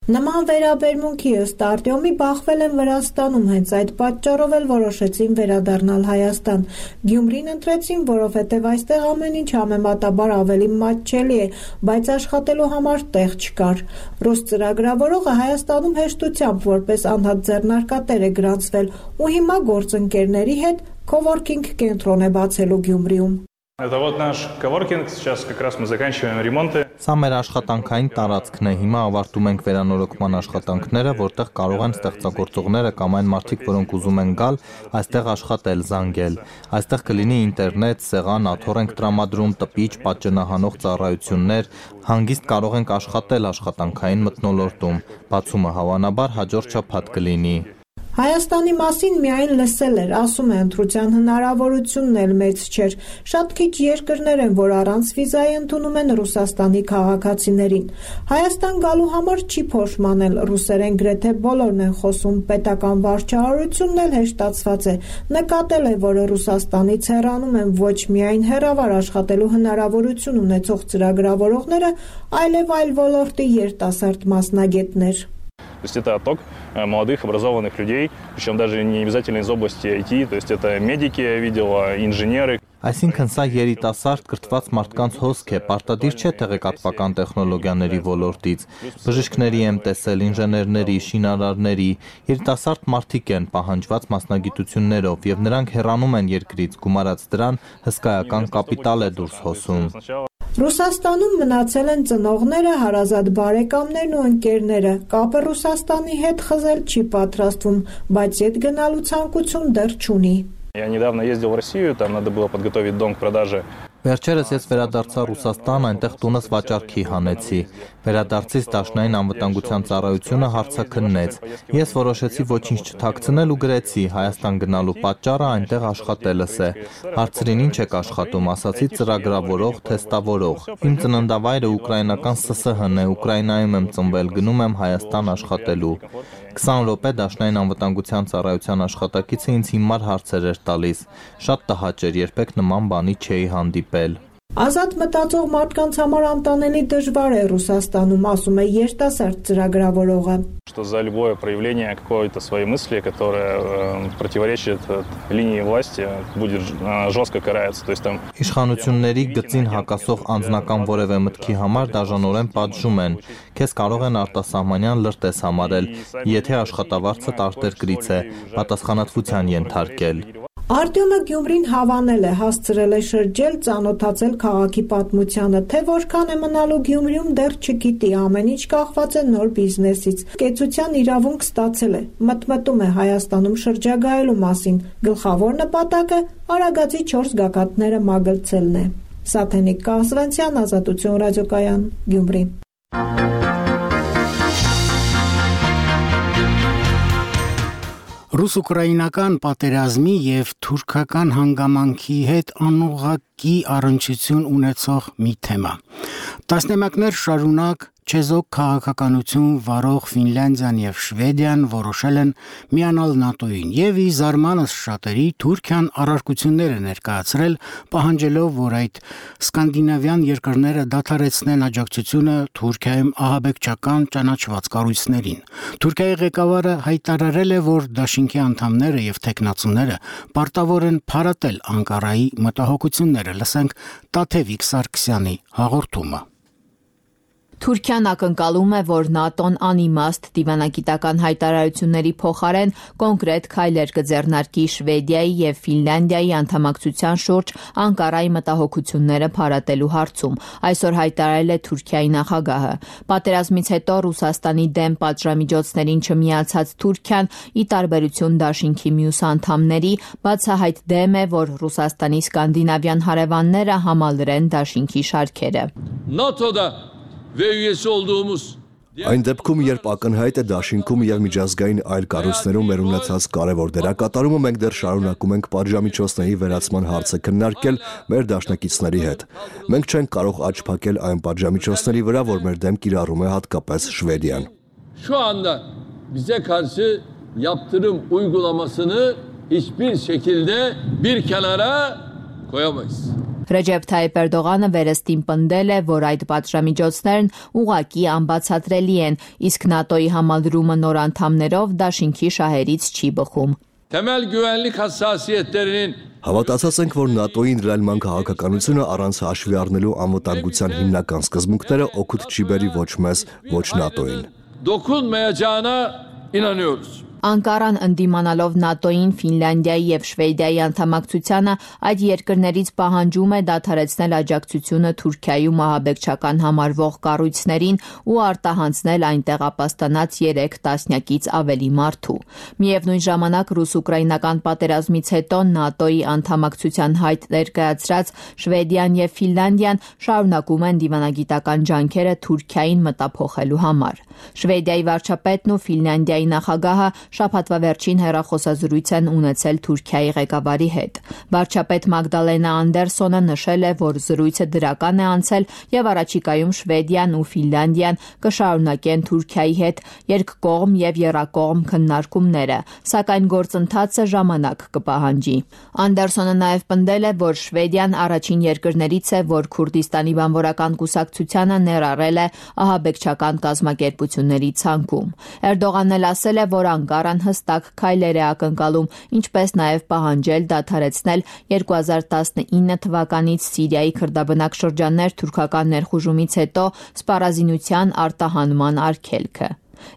S21: Նման վերաբերմունքի ըստ Արտյոմի բախվել են Վրաստանում, հենց այդ պատճառով էլ որոշեցին վերադառնալ Հայաստան։ Գյումրին ընտրեցին, որովհետև այստեղ ամեն ինչ համեմատաբար ավելի մատչելի է, բայց աշխատելու համար տեղ չկար։ Ռուս ծրագրավորողը Հայաստանում հեշտությամբ որպես անհատ ձեռնարկատեր է գրանցվել ու հիմա գործընկերների հետ քովորքինգ կենտրոն է բացելու Գյումրիում։
S22: Это вот наш коворкинг, сейчас как раз мы заканчиваем ремонты.
S14: Սա մեր աշխատանքային տարածքն է, հիմա ավարտում ենք վերանորոգման աշխատանքները, որտեղ կարող են ստեղծագործողները կամ այն մարդիկ, որոնք ուզում են գալ, այստեղ աշխատել, զանգել։ Այստեղ կլինի ինտերնետ, սեղան, աթոռ ենք տրամադրում, տպիչ, պատճենահանող ծառայություններ, հանգիստ կարող ենք աշխատել աշխատանքային մթնոլորտում։ Բացումը հավանաբար հաջորդ շաբաթ կլինի։
S21: Հայաստանի մասին միայն լսել էր, ասում է, ընտրության հնարավորությունն էլ մեծ չէր։ Շատ քիչ երկրներ են, որ առանց վիզայի ընդունում են Ռուսաստանի քաղաքացիներին։ Հայաստան գալու համար չի փոշմանել, ռուսերեն գրեթե բոլորն են խոսում, պետական վարչահարությունն էլ հեշտացված է։ Նկատել է, որ Ռուսաստանից հեռանում են ոչ միայն հեռավար աշխատելու հնարավորություն ունեցող ծրագրավորողները, այլև այլ ոլորտի երիտասարդ մասնագետներ։
S22: То есть это отток молодых, образованных людей, причем даже не обязательно из области IT, то есть это медики, я видел, инженеры.
S14: Այսինքն սա երիտասարդ կրթված մարդկանց հոսք է, պարտադիր չէ տեղեկատվական տեխնոլոգիաների ոլորտից։ Բժիշկների եմ տեսել, ինժեներների, շինարարների, երիտասարդ մարդիկ են պահանջված մասնագիտություններով եւ նրանք հեռանում են երկրից, գումարած դրան հսկայական կապիտալ է դուրս հոսում։
S21: Ռուսաստանում մնացել են ծնողները, հարազատ բարեկամներն ու ընկերները։ Կապը Ռուսաստանի հետ խզել չի պատրաստվում, բայց ետ գնալու ցանկություն դեռ չունի։
S22: Я недавно ездил в Россию, там надо было подготовить дом к продаже.
S14: Վերջերս ես վերադարձա Ռուսաստան, այնտեղ տունս վաճառքի հանեցի։ Վերադարձից Դաշնային անվտանգության ծառայությունը հարցաքննեց։ Ես որոշեցի ոչինչ չթաքցնել ու գրեցի Հայաստան գնալու պատճառը այնտեղ աշխատելս է։ Հարցրին ինչ եք աշխատում, ասացի ծրագրավորող, թեստավորող։ Իմ ծննդավայրը ուկրաինական ՍՍՀ-ն է, Ուկրաինայում եմ ծնվել, գնում եմ Հայաստան աշխատելու։ 20 րոպե Դաշնային անվտանգության ծառայության աշխատակիցը ինձ հիմար հարցեր էր տալիս։ Շատ տհաճ էր, երբեք նման բանի չէի հանդիպել։
S21: Ազատ մտածող մարդկանց համար անտանելի դժվար է Ռուսաստանում, ասում է երիտասարդ ծրագրավորողը։
S22: Что за любое проявление какой-то своей мысли, которая противоречит линии власти, будет жестко карается, то есть там
S14: Իշխանությունների գծին հակասող անձնական որևէ մտքի համար դաժանորեն պատժում են։ Քեզ կարող են արտասահմանյան լրտես համարել, եթե աշխատավարձը արտերկրից է, պատասխանատվության ենթարկել։
S21: Արտյոմը Գյումրին հավանել է, հասցրել է շրջել, ծանոթացել քաղաքի պատմությանը, թե որքան է մնալու Գյումրիում դեռ չգիտի, ամեն ինչ կախված է նոր բիզնեսից։ Կեցության իրավունք ստացել է, մտմտում է Հայաստանում շրջագայելու մասին, գլխավոր նպատակը Արագածի 4 գագաթները մագլցելն է։ Սաթենիկ Կասվենցյան, Ազատություն ռադիոկայան, Գյումրի։
S1: Ռուս-ուկրաինական պատերազմի եւ թուրքական հանգամանքի հետ անուղղակի առնչություն ունեցող մի թեմա։ Տասնամյակներ շարունակ չեզոք քաղաքականություն վարող Ֆինլանդիան եւ Շվեդիան որոշել են միանալ ՆԱՏՕ-ին եւ ի զարմանս շատերի Թուրքիան առարկություններ է ներկայացրել, պահանջելով, որ այդ սկանդինավյան երկրները դադարեցնեն աջակցությունը Թուրքիայում ահաբեկչական ճանաչված կառույցներին։ Թուրքիայի ղեկավարը հայտարարել է, որ դաշինքի անդամները եւ տեխնացուները պարտավոր են փարատել Անկարայի մտահոգությունները։ Լսենք Տաթևիկ Սարգսյանի հաղորդումը։
S2: Թուրքիան ակնկալում է, որ ՆԱՏՕ-ն անիմաստ դիվանագիտական հայտարարությունների փոխարեն կոնկրետ քայլեր կձեռնարկի Շվեդիայի եւ Ֆինլանդիայի անդամակցության շուրջ Անկարայի մտահոգությունները փարատելու հարցում, այսօր հայտարարել է Թուրքիայի նախագահը։ Պատերազմից հետո Ռուսաստանի դեմ պատժամիջոցներին չմիացած Թուրքիան, ի տարբերություն դաշինքի մյուս անդամների, բացահայտ դեմ է, որ Ռուսաստանի սկանդինավյան հարևանները համալրեն դաշինքի շարքերը։
S5: ՆԱՏՕ-da ve üyesi olduğumuz
S20: Այն դեպքում, երբ ակնհայտ է դաշինքում եւ միջազգային այլ կառույցներում մեր ունեցած կարևոր դերակատարումը, մենք դեռ շարունակում ենք պատժամիջոցների վերացման հարցը քննարկել մեր դաշնակիցների հետ։ Մենք չենք կարող աչք փակել այն պատժամիջոցների վրա, որ մեր դեմ կիրառում է հատկապես Շվեդիան։
S5: Şu anda bize karşı yaptırım uygulamasını hiçbir şekilde bir kenara koyamayız.
S2: Ռեջեփ Թայիփ Էրդողանը վերստին պնդել է, որ այդ պատժամիջոցներն ուղղակի անբացատրելի են, իսկ ՆԱՏՕ-ի համալրումը նոր անդամներով դաշինքի շահերից չի բխում։
S5: Temel güvenlik hassasiyetlerinin
S20: Հավատացած ենք, որ ՆԱՏՕ-ի ընդլայնման քաղաքականությունը առանց հաշվի առնելու անվտանգության հիմնական սկզբունքները օգուտ չի բերի ոչ մեզ, ոչ ՆԱՏՕ-ին։
S5: dokunmayacağına inanıyoruz.
S2: Անկարան ընդդիմանալով ՆԱՏՕ-ին, Ֆինլանդիայի եւ Շվեդիայի անդամակցությանը այդ երկրներից պահանջում է դադարեցնել աջակցությունը Թուրքիայում ահաբեկչական համարվող կառույցներին ու արտահանձնել այնտեղ ապաստանած 3 տասնյակից ավելի մարդու։ Միևնույն ժամանակ ռուս-ուկրաինական պատերազմից հետո ՆԱՏՕ-ի անդամակցության հայտ ներկայացրած Շվեդիան եւ Ֆինլանդիան շարունակում են դիվանագիտական ջանքերը Թուրքիային մտափոխելու համար։ Շվեդիայի վարչապետն ու Ֆինլանդիայի նախագահը շաբաթվա վերջին հեռախոսազրույց են ունեցել Թուրքիայի ղեկավարի հետ։ Վարչապետ Մագդալենա Անդերսոնը նշել է, որ զրույցը դրական է անցել եւ առաջիկայում Շվեդիան ու Ֆինլանդիան կշարունակեն Թուրքիայի հետ երկկողմ եւ եռակողմ քննարկումները, սակայն գործընթացը ժամանակ կպահանջի։ Անդերսոնը նաեւ պնդել է, որ Շվեդիան առաջին երկրներից է, որ Քուրդիստանի բանվորական կուսակցությանը ներառել է ահաբեկչական կազմակերպությունների ցանկում։ Էրդողանն էլ ասել է, որ Անկարան հստակ քայլեր է ակնկալում, ինչպես նաև պահանջել դադարեցնել 2019 թվականից Սիրիայի քրդաբնակ շրջաններ թուրքական ներխուժումից հետո սպառազինության արտահանման արգելքը։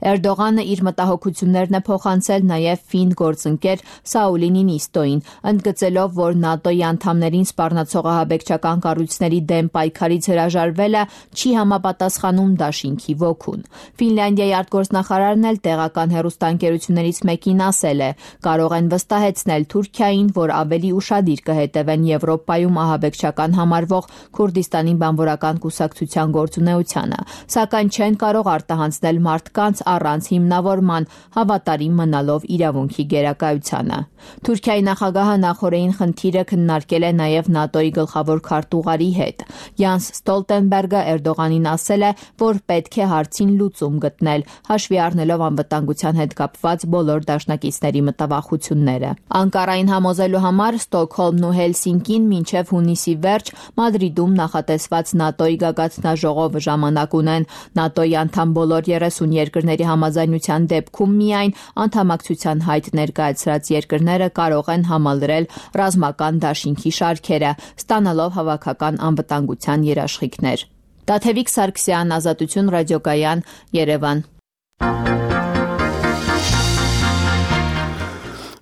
S2: Էրդողանը իր մտահոգություններն է փոխանցել նաև ֆին գործընկեր Սաուլի Նինիստոին, ընդգծելով, որ ՆԱՏՕ-ի անդամներին սպառնացող ահաբեկչական կառույցների դեմ պայքարից հրաժարվելը չի համապատասխանում դաշինքի ոգուն։ Ֆինլանդիայի արտգործնախարարն էլ տեղական հեռուստաընկերություններից մեկին ասել է, կարող են վստահեցնել Թուրքիային, որ ավելի ուշադիր կհետևեն Եվրոպայում ահաբեկչական համարվող Քուրդիստանի բանվորական կուսակցության գործունեությանը, սակայն չեն կարող արտահանձնել մարդկանց առանց հիմնավորման, հավատարիմ մնալով իրավունքի գերակայությանը։ Թուրքիայի նախագահը նախորդին խնդիրը քննարկել է նաև ՆԱՏՕ-ի գլխավոր քարտուղարի հետ։ Յանս Ստոլտենբերգը Էրդողանին ասել է, որ պետք է հարցին լուծում գտնել, հաշվի առնելով անվտանգության հետ կապված բոլոր դաշնակիցների մտավախությունները։ Անկարային համոզելու համար Ստոկհոլմն ու Հելսինկին մինչև հունիսի վերջ Մադրիդում նախատեսված ՆԱՏՕ-ի գագաթնաժողովը ժամանակ ունեն։ ՆԱՏՕ-ի անդամ բոլոր 30 երկրների համաձայնության դեպքում միայն անդամակցության հայտ ներկայացրած երկրները կարող են համալրել ռազմական դաշինքի շարքերը, ստանալով հավաքական անվտանգության երաշխիքներ։ Տաթևիկ Սարգսյան, Ազատություն ռադիոկայան, Երևան։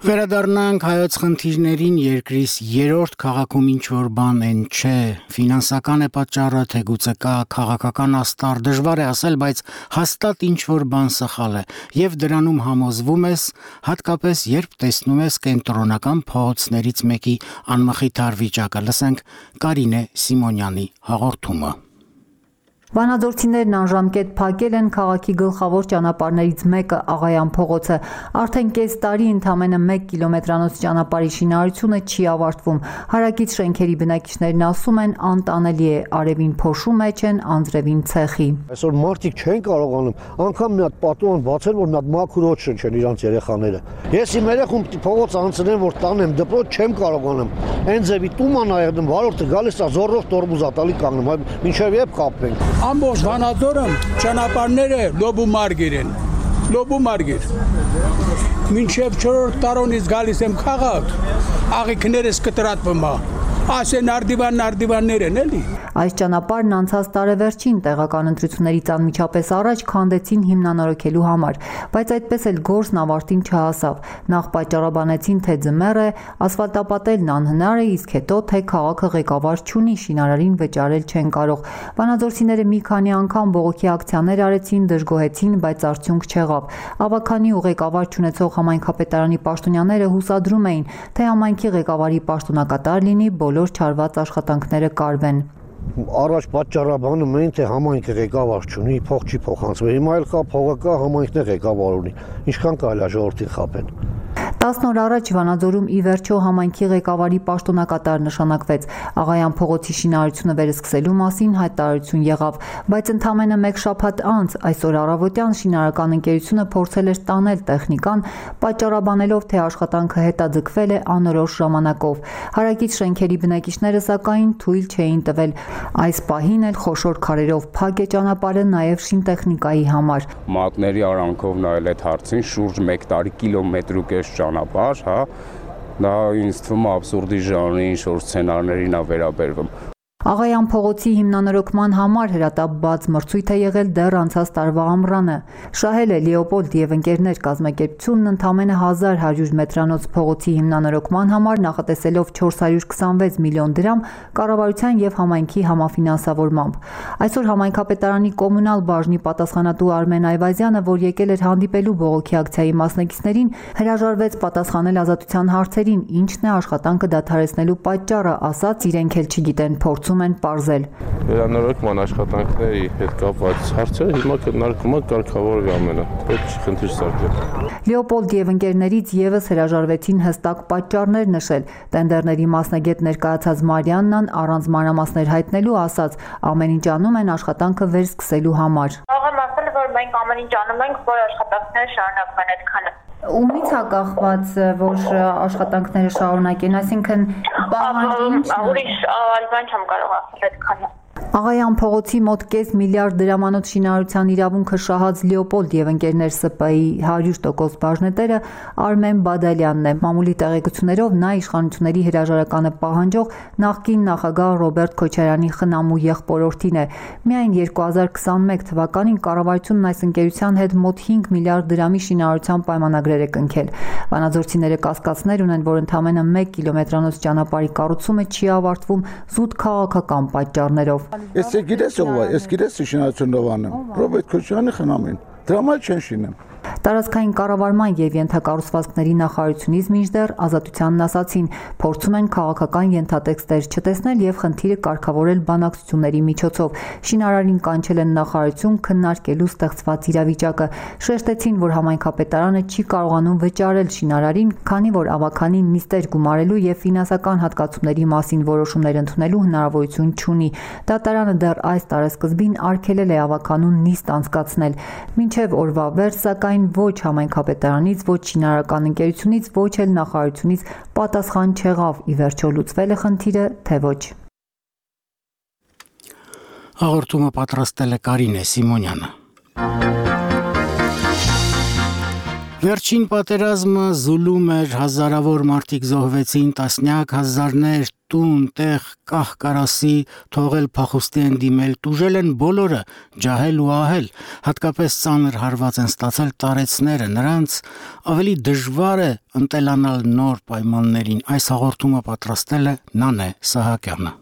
S1: Վերադառնանք հայոց խնդիրներին երկրիս երրորդ քաղաքում ինչ-որ բան են չէ, ֆինանսական է պատճառը, թե գուցե կա քաղաքական աստար, դժվար է ասել, բայց հաստատ ինչ-որ բան սխալ է, եւ դրանում համոզվում ես, հատկապես երբ տեսնում ես կենտրոնական փողոցներից մեկի անմխիթար վիճակը, լսենք Կարինե Սիմոնյանի հաղորդումը։
S3: Վանաձորցիներն անժամկետ փակել են քաղաքի գլխավոր ճանապարհներից մեկը Աղայան փողոցը։ Արդեն կես տարի ընդամենը 1 կիլոմետրանոց ճանապարհի շինարարությունը չի ավարտվում։ Հարակից շենքերի բնակիչներն ասում են անտանելի է, արևին փոշու մեջ են, անձրևին ցեխի։
S7: Այսօր մարդիկ չեն կարողանում անգամ մի հատ պատուհան բացել, որ մի հատ մաքուր օդ շնչեն իրանց երեխաները։ Ես իմ երեխում փողոց անցնեմ, որ տանեմ դպրոց չեմ կարողանում։ Այն ձևի տուման այդում վարորդը գալիս է զորով տորմուզ ատալի կանգնում, մինչև երբ կապենք։
S23: Ամբողջ Վանաձորը ճանապարհները լոբումարգիր են, լոբումարգիր։ Մինչև 4-րդ տարոնից գալիս եմ քաղաք, աղիքներս կտրատվում է, ասեն արդիվաններ են էլի։
S3: Այս ճանապարհն անցած տարեվերջին տեղական ընտրություններից անմիջապես առաջ քանդեցին հիմնանորոգելու համար, բայց այդպես էլ գործն ավարտին չհասավ։ Նախ պատճառաբանեցին, թե ձմեռ է, ասֆալտապատելն անհնար է, իսկ հետո թե քաղաքը ղեկավար չունի, շինարարին վճարել չեն կարող։ Վանաձորցիները մի քանի անգամ բողոքի ակցիաներ արեցին, դժգոհեցին, բայց արդյունք չեղավ։ Ավագանի ու ղեկավար չունեցող համայնքապետարանի պաշտոնյաները հուսադրում էին, թե համայնքի ղեկավարի պաշտոնակատար լինի, բոլոր չարված աշխատանքները կարվեն։
S7: Առաջ պատճառաբանում էին, թե համայնքը ղեկավար չունի, փող չի փոխանցվում։ Հիմա էլ կա փողը կա, համայնքն է ղեկավար ունի։ Ինչքան կարելի է ժողովրդին խաբեն։
S3: 10 օր առաջ Վանաձորում ի վերջո համայնքի ղեկավարի պաշտոնակատար նշանակվեց։ Աղայան փողոցի շինարարությունը վերսկսելու մասին հայտարարություն եղավ, բայց ընդամենը 1 շաբաթ անց այսօր առավոտյան շինարարական ընկերությունը փորձել էր տանել տեխնիկան, պատճառաբանելով, թե աշխատանքը հետաձգվել է անորոշ ժամանակով։ Հարակից շենքերի բնակիչները սակայն թույլ չէին տվել։ Այս պահին էլ խոշոր քարերով փակ է ճանապարհը նաև շինտեխնիկայի համար։
S24: Մատների արանքով նայել այդ հարցին շուրջ 1 տարի կիլոմետր ու կես ճանապարհ, հա, դա ինձ թվում է աբսուրդի ժանրի ինչ-որ սցենարներին է վերաբերվում։
S3: Աղայան փողոցի հիմնանորոգման համար հրատապ բաց մրցույթ է եղել դեռ անցած տարվա ամռանը։ Շահել է Լեոպոլդ եւ ընկերներ կազմակերպությունն ընդամենը 1100 մետրանոց փողոցի հիմնանորոգման համար նախատեսելով 426 միլիոն դրամ կառավարության եւ համայնքի համաֆինանսավորմամբ։ Այսօր համայնքապետարանի կոմունալ բաժնի պատասխանատու Արմեն Այվազյանը, որ եկել էր հանդիպելու բողոքի ակցիայի մասնակիցներին, հրաժարվեց պատասխանել ազատության հարցերին, ինչն է աշխատանքը դադարեցնելու պատճառը, ասաց իրենք էլ չգիտեն, փորձում են պարզել։
S25: Վերանորոգման աշխատանքների հետ կապված հարցերը հիմա քննարկում է կարգավորվի ամենը, պետք չի խնդիր սարքել։
S3: Լեոպոլդ եւ ընկերներից եւս հրաժարվեցին հստակ պատճառներ նշել։ Տենդերների մասնագետ ներկայացած Մարիաննան առանց մանրամասներ հայտնելու ասաց, ամեն ինչ անում են աշխատանքը վերսկսելու համար։
S26: Աղան ասել, որ մենք ամեն ինչ անում ենք, որ աշխատանքները շարունակվեն այդքանը։
S3: Ումից է կախված, որ աշխատանքները շարունակեն, այսինքն
S26: ուրիշ բան չեմ կարող ասել այդքանը։
S3: Աղայան փողոցի մոտ կես միլիարդ դրամանոց շինարարության իրավունքը շահած Լեոպոլդ եւ ընկերներ ՍՊ-ի 100% բաժնետերը Արմեն Բադալյանն է։ Մամուլի տեղեկություններով նա իշխանությունների հրաժարականը պահանջող նախկին նախագահ Ռոբերտ Քոչարյանի խնամու եղբորորդին է։ Միայն 2021 թվականին կառավարությունն այս ընկերության հետ մոտ 5 միլիարդ դրամի շինարարության պայմանագրեր է կնքել։ Վանաձորցիները կասկածներ ունեն, որ ընդամենը 1 կիլոմետրանոց ճանապարհի կառուցումը չի ավարտվում զուտ քաղաքական պատճառներով։
S27: Ես գիտես ով է, ես գիտես շինարարությունով անեմ։ Ռոբերտ Քոչարյանի խնամին։ Դրամա չեն շինեմ։
S3: Տարածքային կառավարման եւ ենթակառուցվածքների նախարարությունից մինչդեռ ազատությանն ասացին, փորձում են քաղաքական ենթատեքստեր չտեսնել եւ խնդիրը կարգավորել բանակցությունների միջոցով։ Շինարարին կանչել են նախարարություն քննարկելու ստեղծված իրավիճակը։ Շեշտեցին, որ համայնքապետարանը չի կարողանում վճարել շինարարին, քանի որ ավականին նիստեր գումարելու եւ ֆինանսական հատկացումների մասին որոշումներ ընդունելու հնարավորություն չունի։ Դատարանը դեռ այս տարեսկզբին արգելել է ավականուն նիստ անցկացնել։ Մինչև օրվա վերջ սակայն ոչ համայնքապետարանից, ոչ շինարարական ընկերությունից, ոչ էլ նախարարությունից պատասխան չեղավ։ Ի վերջո լուծվել է խնդիրը, թե ոչ։
S1: Հաղորդումը պատրաստել է Կարինե Սիմոնյանը։ Վերջին պատերազմը զուլում էր, հազարավոր մարդիկ զոհվեցին, տասնյակ հազարներ տուն, տեղ, կահ-կարասի, թողել փախուստի են դիմել, տուժել են բոլորը, ջահել ու ահել, հատկապես ծանր հարված են ստացել տարեցները, նրանց ավելի դժվար է ընտելանալ նոր պայմաններին, այս հաղորդումը պատրաստել է Նանե Սահակյանը։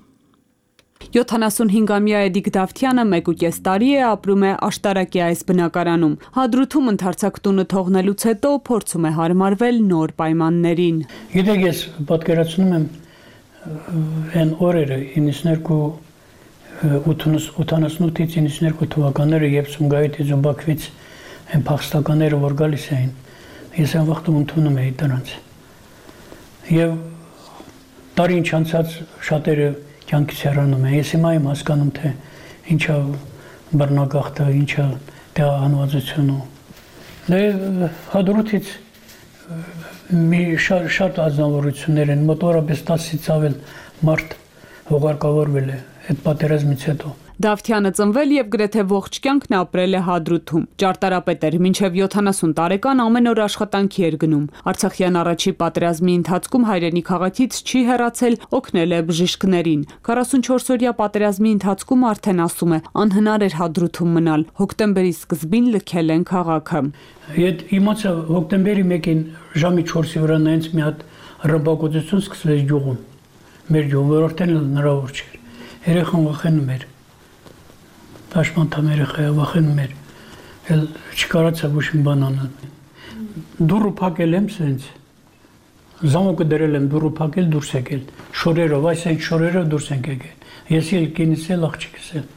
S4: 75-ամյա Էդիկ Դավթյանը 1.5 տարի է ապրում է Աշտարակի այս բնակարանում։ Հադրութում ընդարձակ տունը թողնելուց հետո փորձում է հարմարվել նոր պայմաններին։
S6: Գիտեք, ես պատկերացնում եմ այն օրերը 88-ից 92 թվականները, երբ Սումգայիթից ու Բաքվից այն փախստականները որ գալիս էին, ես այն վաղտում ընդունում էի դրանց։ Եվ տարի ինչ անցած շատերը կյանքից հեռանում է։ Ես հիմա եմ հասկանում, թե ինչա բռնագաղթը, ինչա դեղահանվածությունը։ Դե Հադրութից մի շատ ազնվորություններ են, մոտավորապես 10-ից ավել մարդ հողարկավորվել է այդ պատերազմից հետո։
S4: Դավթյանը ծնվել եւ գրեթե ողջ կյանքն ապրել է Հադրութում։ Ճարտարապետ էր, մինչեւ 70 տարեկան ամեն օր աշխատանքի էր գնում։ Արցախյան առաջի պատերազմի ընթացքում հայրենի քաղաքից չի հեռացել, օգնել է բժիշկներին։ 44-օրյա պատերազմի ընթացքում արդեն ասում է, անհնար էր Հադրութում մնալ։ Հոկտեմբերի սկզբին լքել են քաղաքը։
S6: Եդ իմացա հոկտեմբերի 1-ին ժամի 4-ի վրա նայած մի հատ ռմբակոծություն սկսվեց գյուղում։ Մեր գյուղը որտեղ հնարավոր չէր։ Երեխան վախենում էր։ Դաշմանդամ երեխայը վախենում էր, էլ չկարացա ոչ մի բան անել։ Դուռը փակել եմ սենց, զամոկը դրել եմ, դուռը փակել, դուրս եկել, շորերով, այս այն շորերով դուրս ենք եկել։ Ես էլ կինս էլ աղջիկս էլ,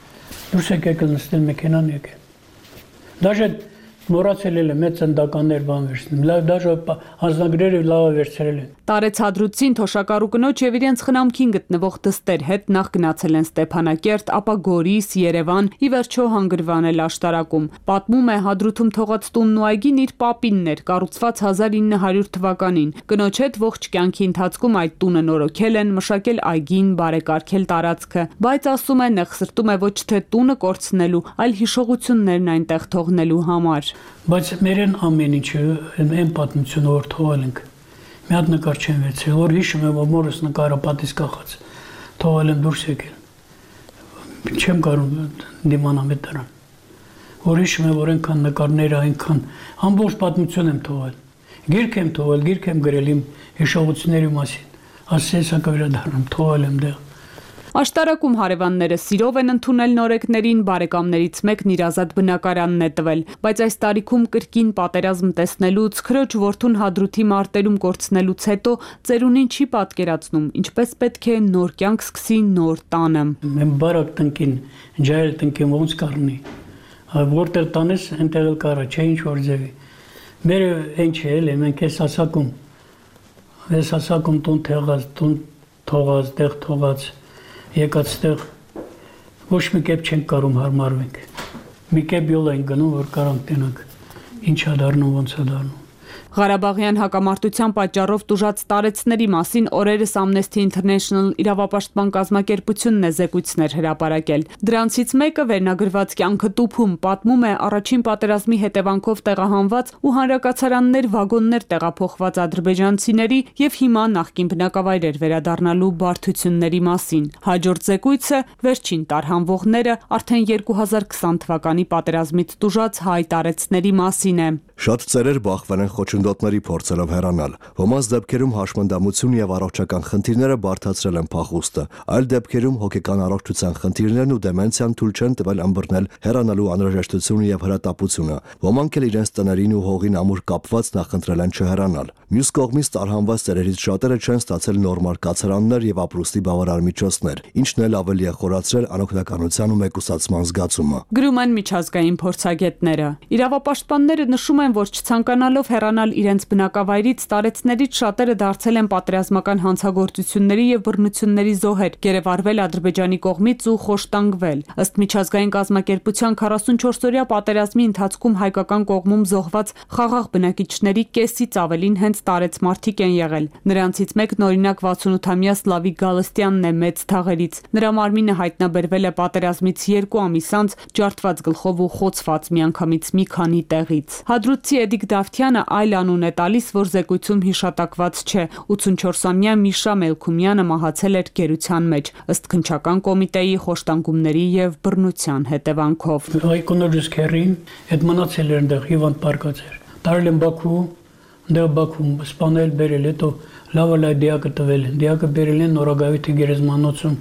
S6: դուրս ենք եկել նստել մեքենան եկել։ Դաժե մոռացել եմ մեծ ծնդականներ բան վերցնում, դաժե անձնագրերը լավ վերցրել են։
S4: Տարեց Հադրութին թոշակառու կնոջ եւ իրենց խնամքին գտնվող դստեր հետ նախ գնացել են Ստեփանակերտ, ապա Գորիս, Երևան, ի վերջո հանգրվանել Աշտարակում։ Պատմում է Հադրութում թողած տունն ու այգին իր պապինն էր, կառուցված 1900 թվականին։ Կնոջ հետ ողջ կյանքի ընթացքում այդ տունը նորոգել են, մշակել այգին, բարեկարգել տարածքը, բայց ասում է նեղսրտում է ոչ թե տունը կորցնելու, այլ հիշողություններն այնտեղ թողնելու համար։
S6: Բայց մերեն ամեն ինչը այն պատմությունը որ թողել ենք։ Մի հատ նկար չեմ վերցրել, որ հիշում եմ, որ մորս նկարը պատից կախած, թողել եմ դուրս եկել։ Չեմ կարող դիմանամ այդ դրան։ Որ հիշում եմ, որ այնքան նկարները, այնքան ամբողջ պատմություն եմ թողել։ Գիրք եմ թողել, գիրք եմ գրել իմ հիշողությունների մասին։ Ասես հակա վերադառնում, թողել եմ դեղ։
S4: Աշտարակում հարևանները սիրով են ընդունել նորեկներին, բարեկամներից մեկն իր ազատ բնակարանն է տվել, բայց այս տարիքում կրկին պատերազմ տեսնելուց, քրոջ որդուն Հադրութի մարտերում կորցնելուց հետո ծերունին չի պատկերացնում, ինչպես պետք է նոր կյանք սկսի նոր տանը։
S6: Մենք բարակ տնկին, ջայել տնկին ոնց կառնի։ Որտեղ տանես, այնտեղ էլ կարա, չէ ինչ որ ձևի։ Մերը այն չէ, էլի մենք ես ասակում տուն թեղած, տուն թողած, տեղ թողած եկած տեղ ոչ մի կերպ չենք կարող հարմարվենք։ Մի կերպ յոլ ենք գնում, որ կարանք տենանք, ինչ է դառնում, ոնց է դառնում։
S4: Ղարաբաղյան հակամարտության պատճառով տուժած տարեցների մասին օրերս Amnesty International իրավապաշտպան կազմակերպությունն է զեկույցներ հրապարակել։ Դրանցից մեկը վերնագրված կյանքը տուփում պատմում է առաջին պատերազմի հետևանքով տեղահանված ու հանրակացարաններ վագոններ տեղափոխված ադրբեջանցիների եւ հիմա նախկին բնակավայրեր վերադառնալու բարդությունների մասին։ Հաջորդ զեկույցը վերջին տարհանվողները արդեն 2020 թվականի պատերազմից տուժած հայ տարեցների մասին է։
S20: Շատ ծերեր բախվել են խոչընդոտների փորձելով հեռանալ։ Ոմանց դեպքերում հաշմանդամություն եւ առողջական խնդիրները բարդացրել են փախուստը, այլ դեպքերում հոգեկան առողջության խնդիրներն ու դեմենցիան թույլ չեն տվել ըմբռնել հեռանալու անհրաժեշտությունը եւ հրատապությունը։ Ոմանք էլ իրենց տներին ու հողին ամուր կապված նախընտրել են չհեռանալ։ Մյուս կողմից տարհանված ծերերից շատերը չեն ստացել նորմալ կացարաններ եւ ապրուստի բավարար միջոցներ, ինչն էլ ավելի է խորացրել անօգնականության ու մեկուսացման զգացումը։
S4: Գրում են միջազգային փորձագետները։ Իրավապաշտպանները նշում են, որ չցանկանալով հեռանալ գալ իրենց բնակավայրից, տարեցներից շատերը դարձել են պատերազմական հանցագործությունների եւ բռնությունների զոհեր, գերեվարվել Ադրբեջանի կողմից ու խոշտանգվել։ Ըստ միջազգային կազմակերպության 44-օրյա պատերազմի ընթացքում հայկական կողմում զոհված խաղաղ բնակիչների կեսից ավելին հենց տարեց մարդիկ են եղել։ Նրանցից մեկն օրինակ 68-ամյա Սլավիկ Գալստյանն է մեծ թաղերից։ Նրա մարմինը հայտնաբերվել է պատերազմից 2 ամիս անց ջարդված գլխով ու խոցված միանգամից մի քանի տեղից։ Հադրութի Էդիկ Դավթյանը այլ անուն է տալիս, որ զեկույցում հիշատակված չէ։ 84-ամյա Միշա Մելքումյանը մահացել էր գերության մեջ, ըստ քննչական կոմիտեի խոշտանգումների եւ բռնության հետևանքով։
S6: Այկոնոջս քերին այդ մնացել էր այնտեղ հիվանդ պարկած էր։ Տարել են Բաքու, այնտեղ Բաքվում սպանել բերել, հետո լավը դիակը տվել են։ Դիակը բերել են Նորագավիթի գերեզմանոցում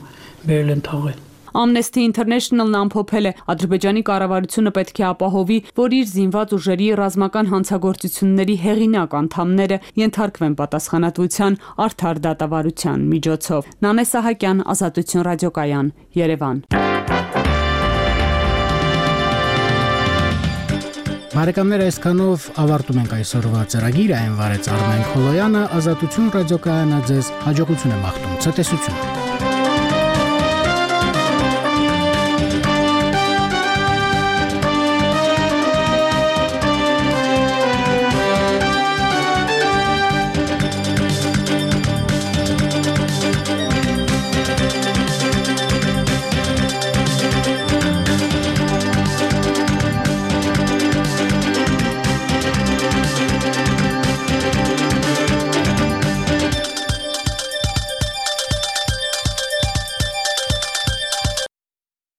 S6: բերել են թաղել։
S4: Amnesty International-ն ամփոփել է Ադրբեջանի կառավարությունը պետք է ապահովի, որ իր զինված ուժերի ռազմական հանցագործությունների հեղինակ անդամները ենթարկվեն պատասխանատվության արդար դատավարության միջոցով։ Նանե Սահակյան, Ազատություն ռադիոկայան, Երևան։
S1: Բարեկամներ, այսքանով ավարտում ենք այսօրվա ծրագիրը, այն վարեց Արմեն Խոլոյանը, Ազատություն ռադիոկայանը ձեզ հաջողություն է մաղթում, ցտեսություն։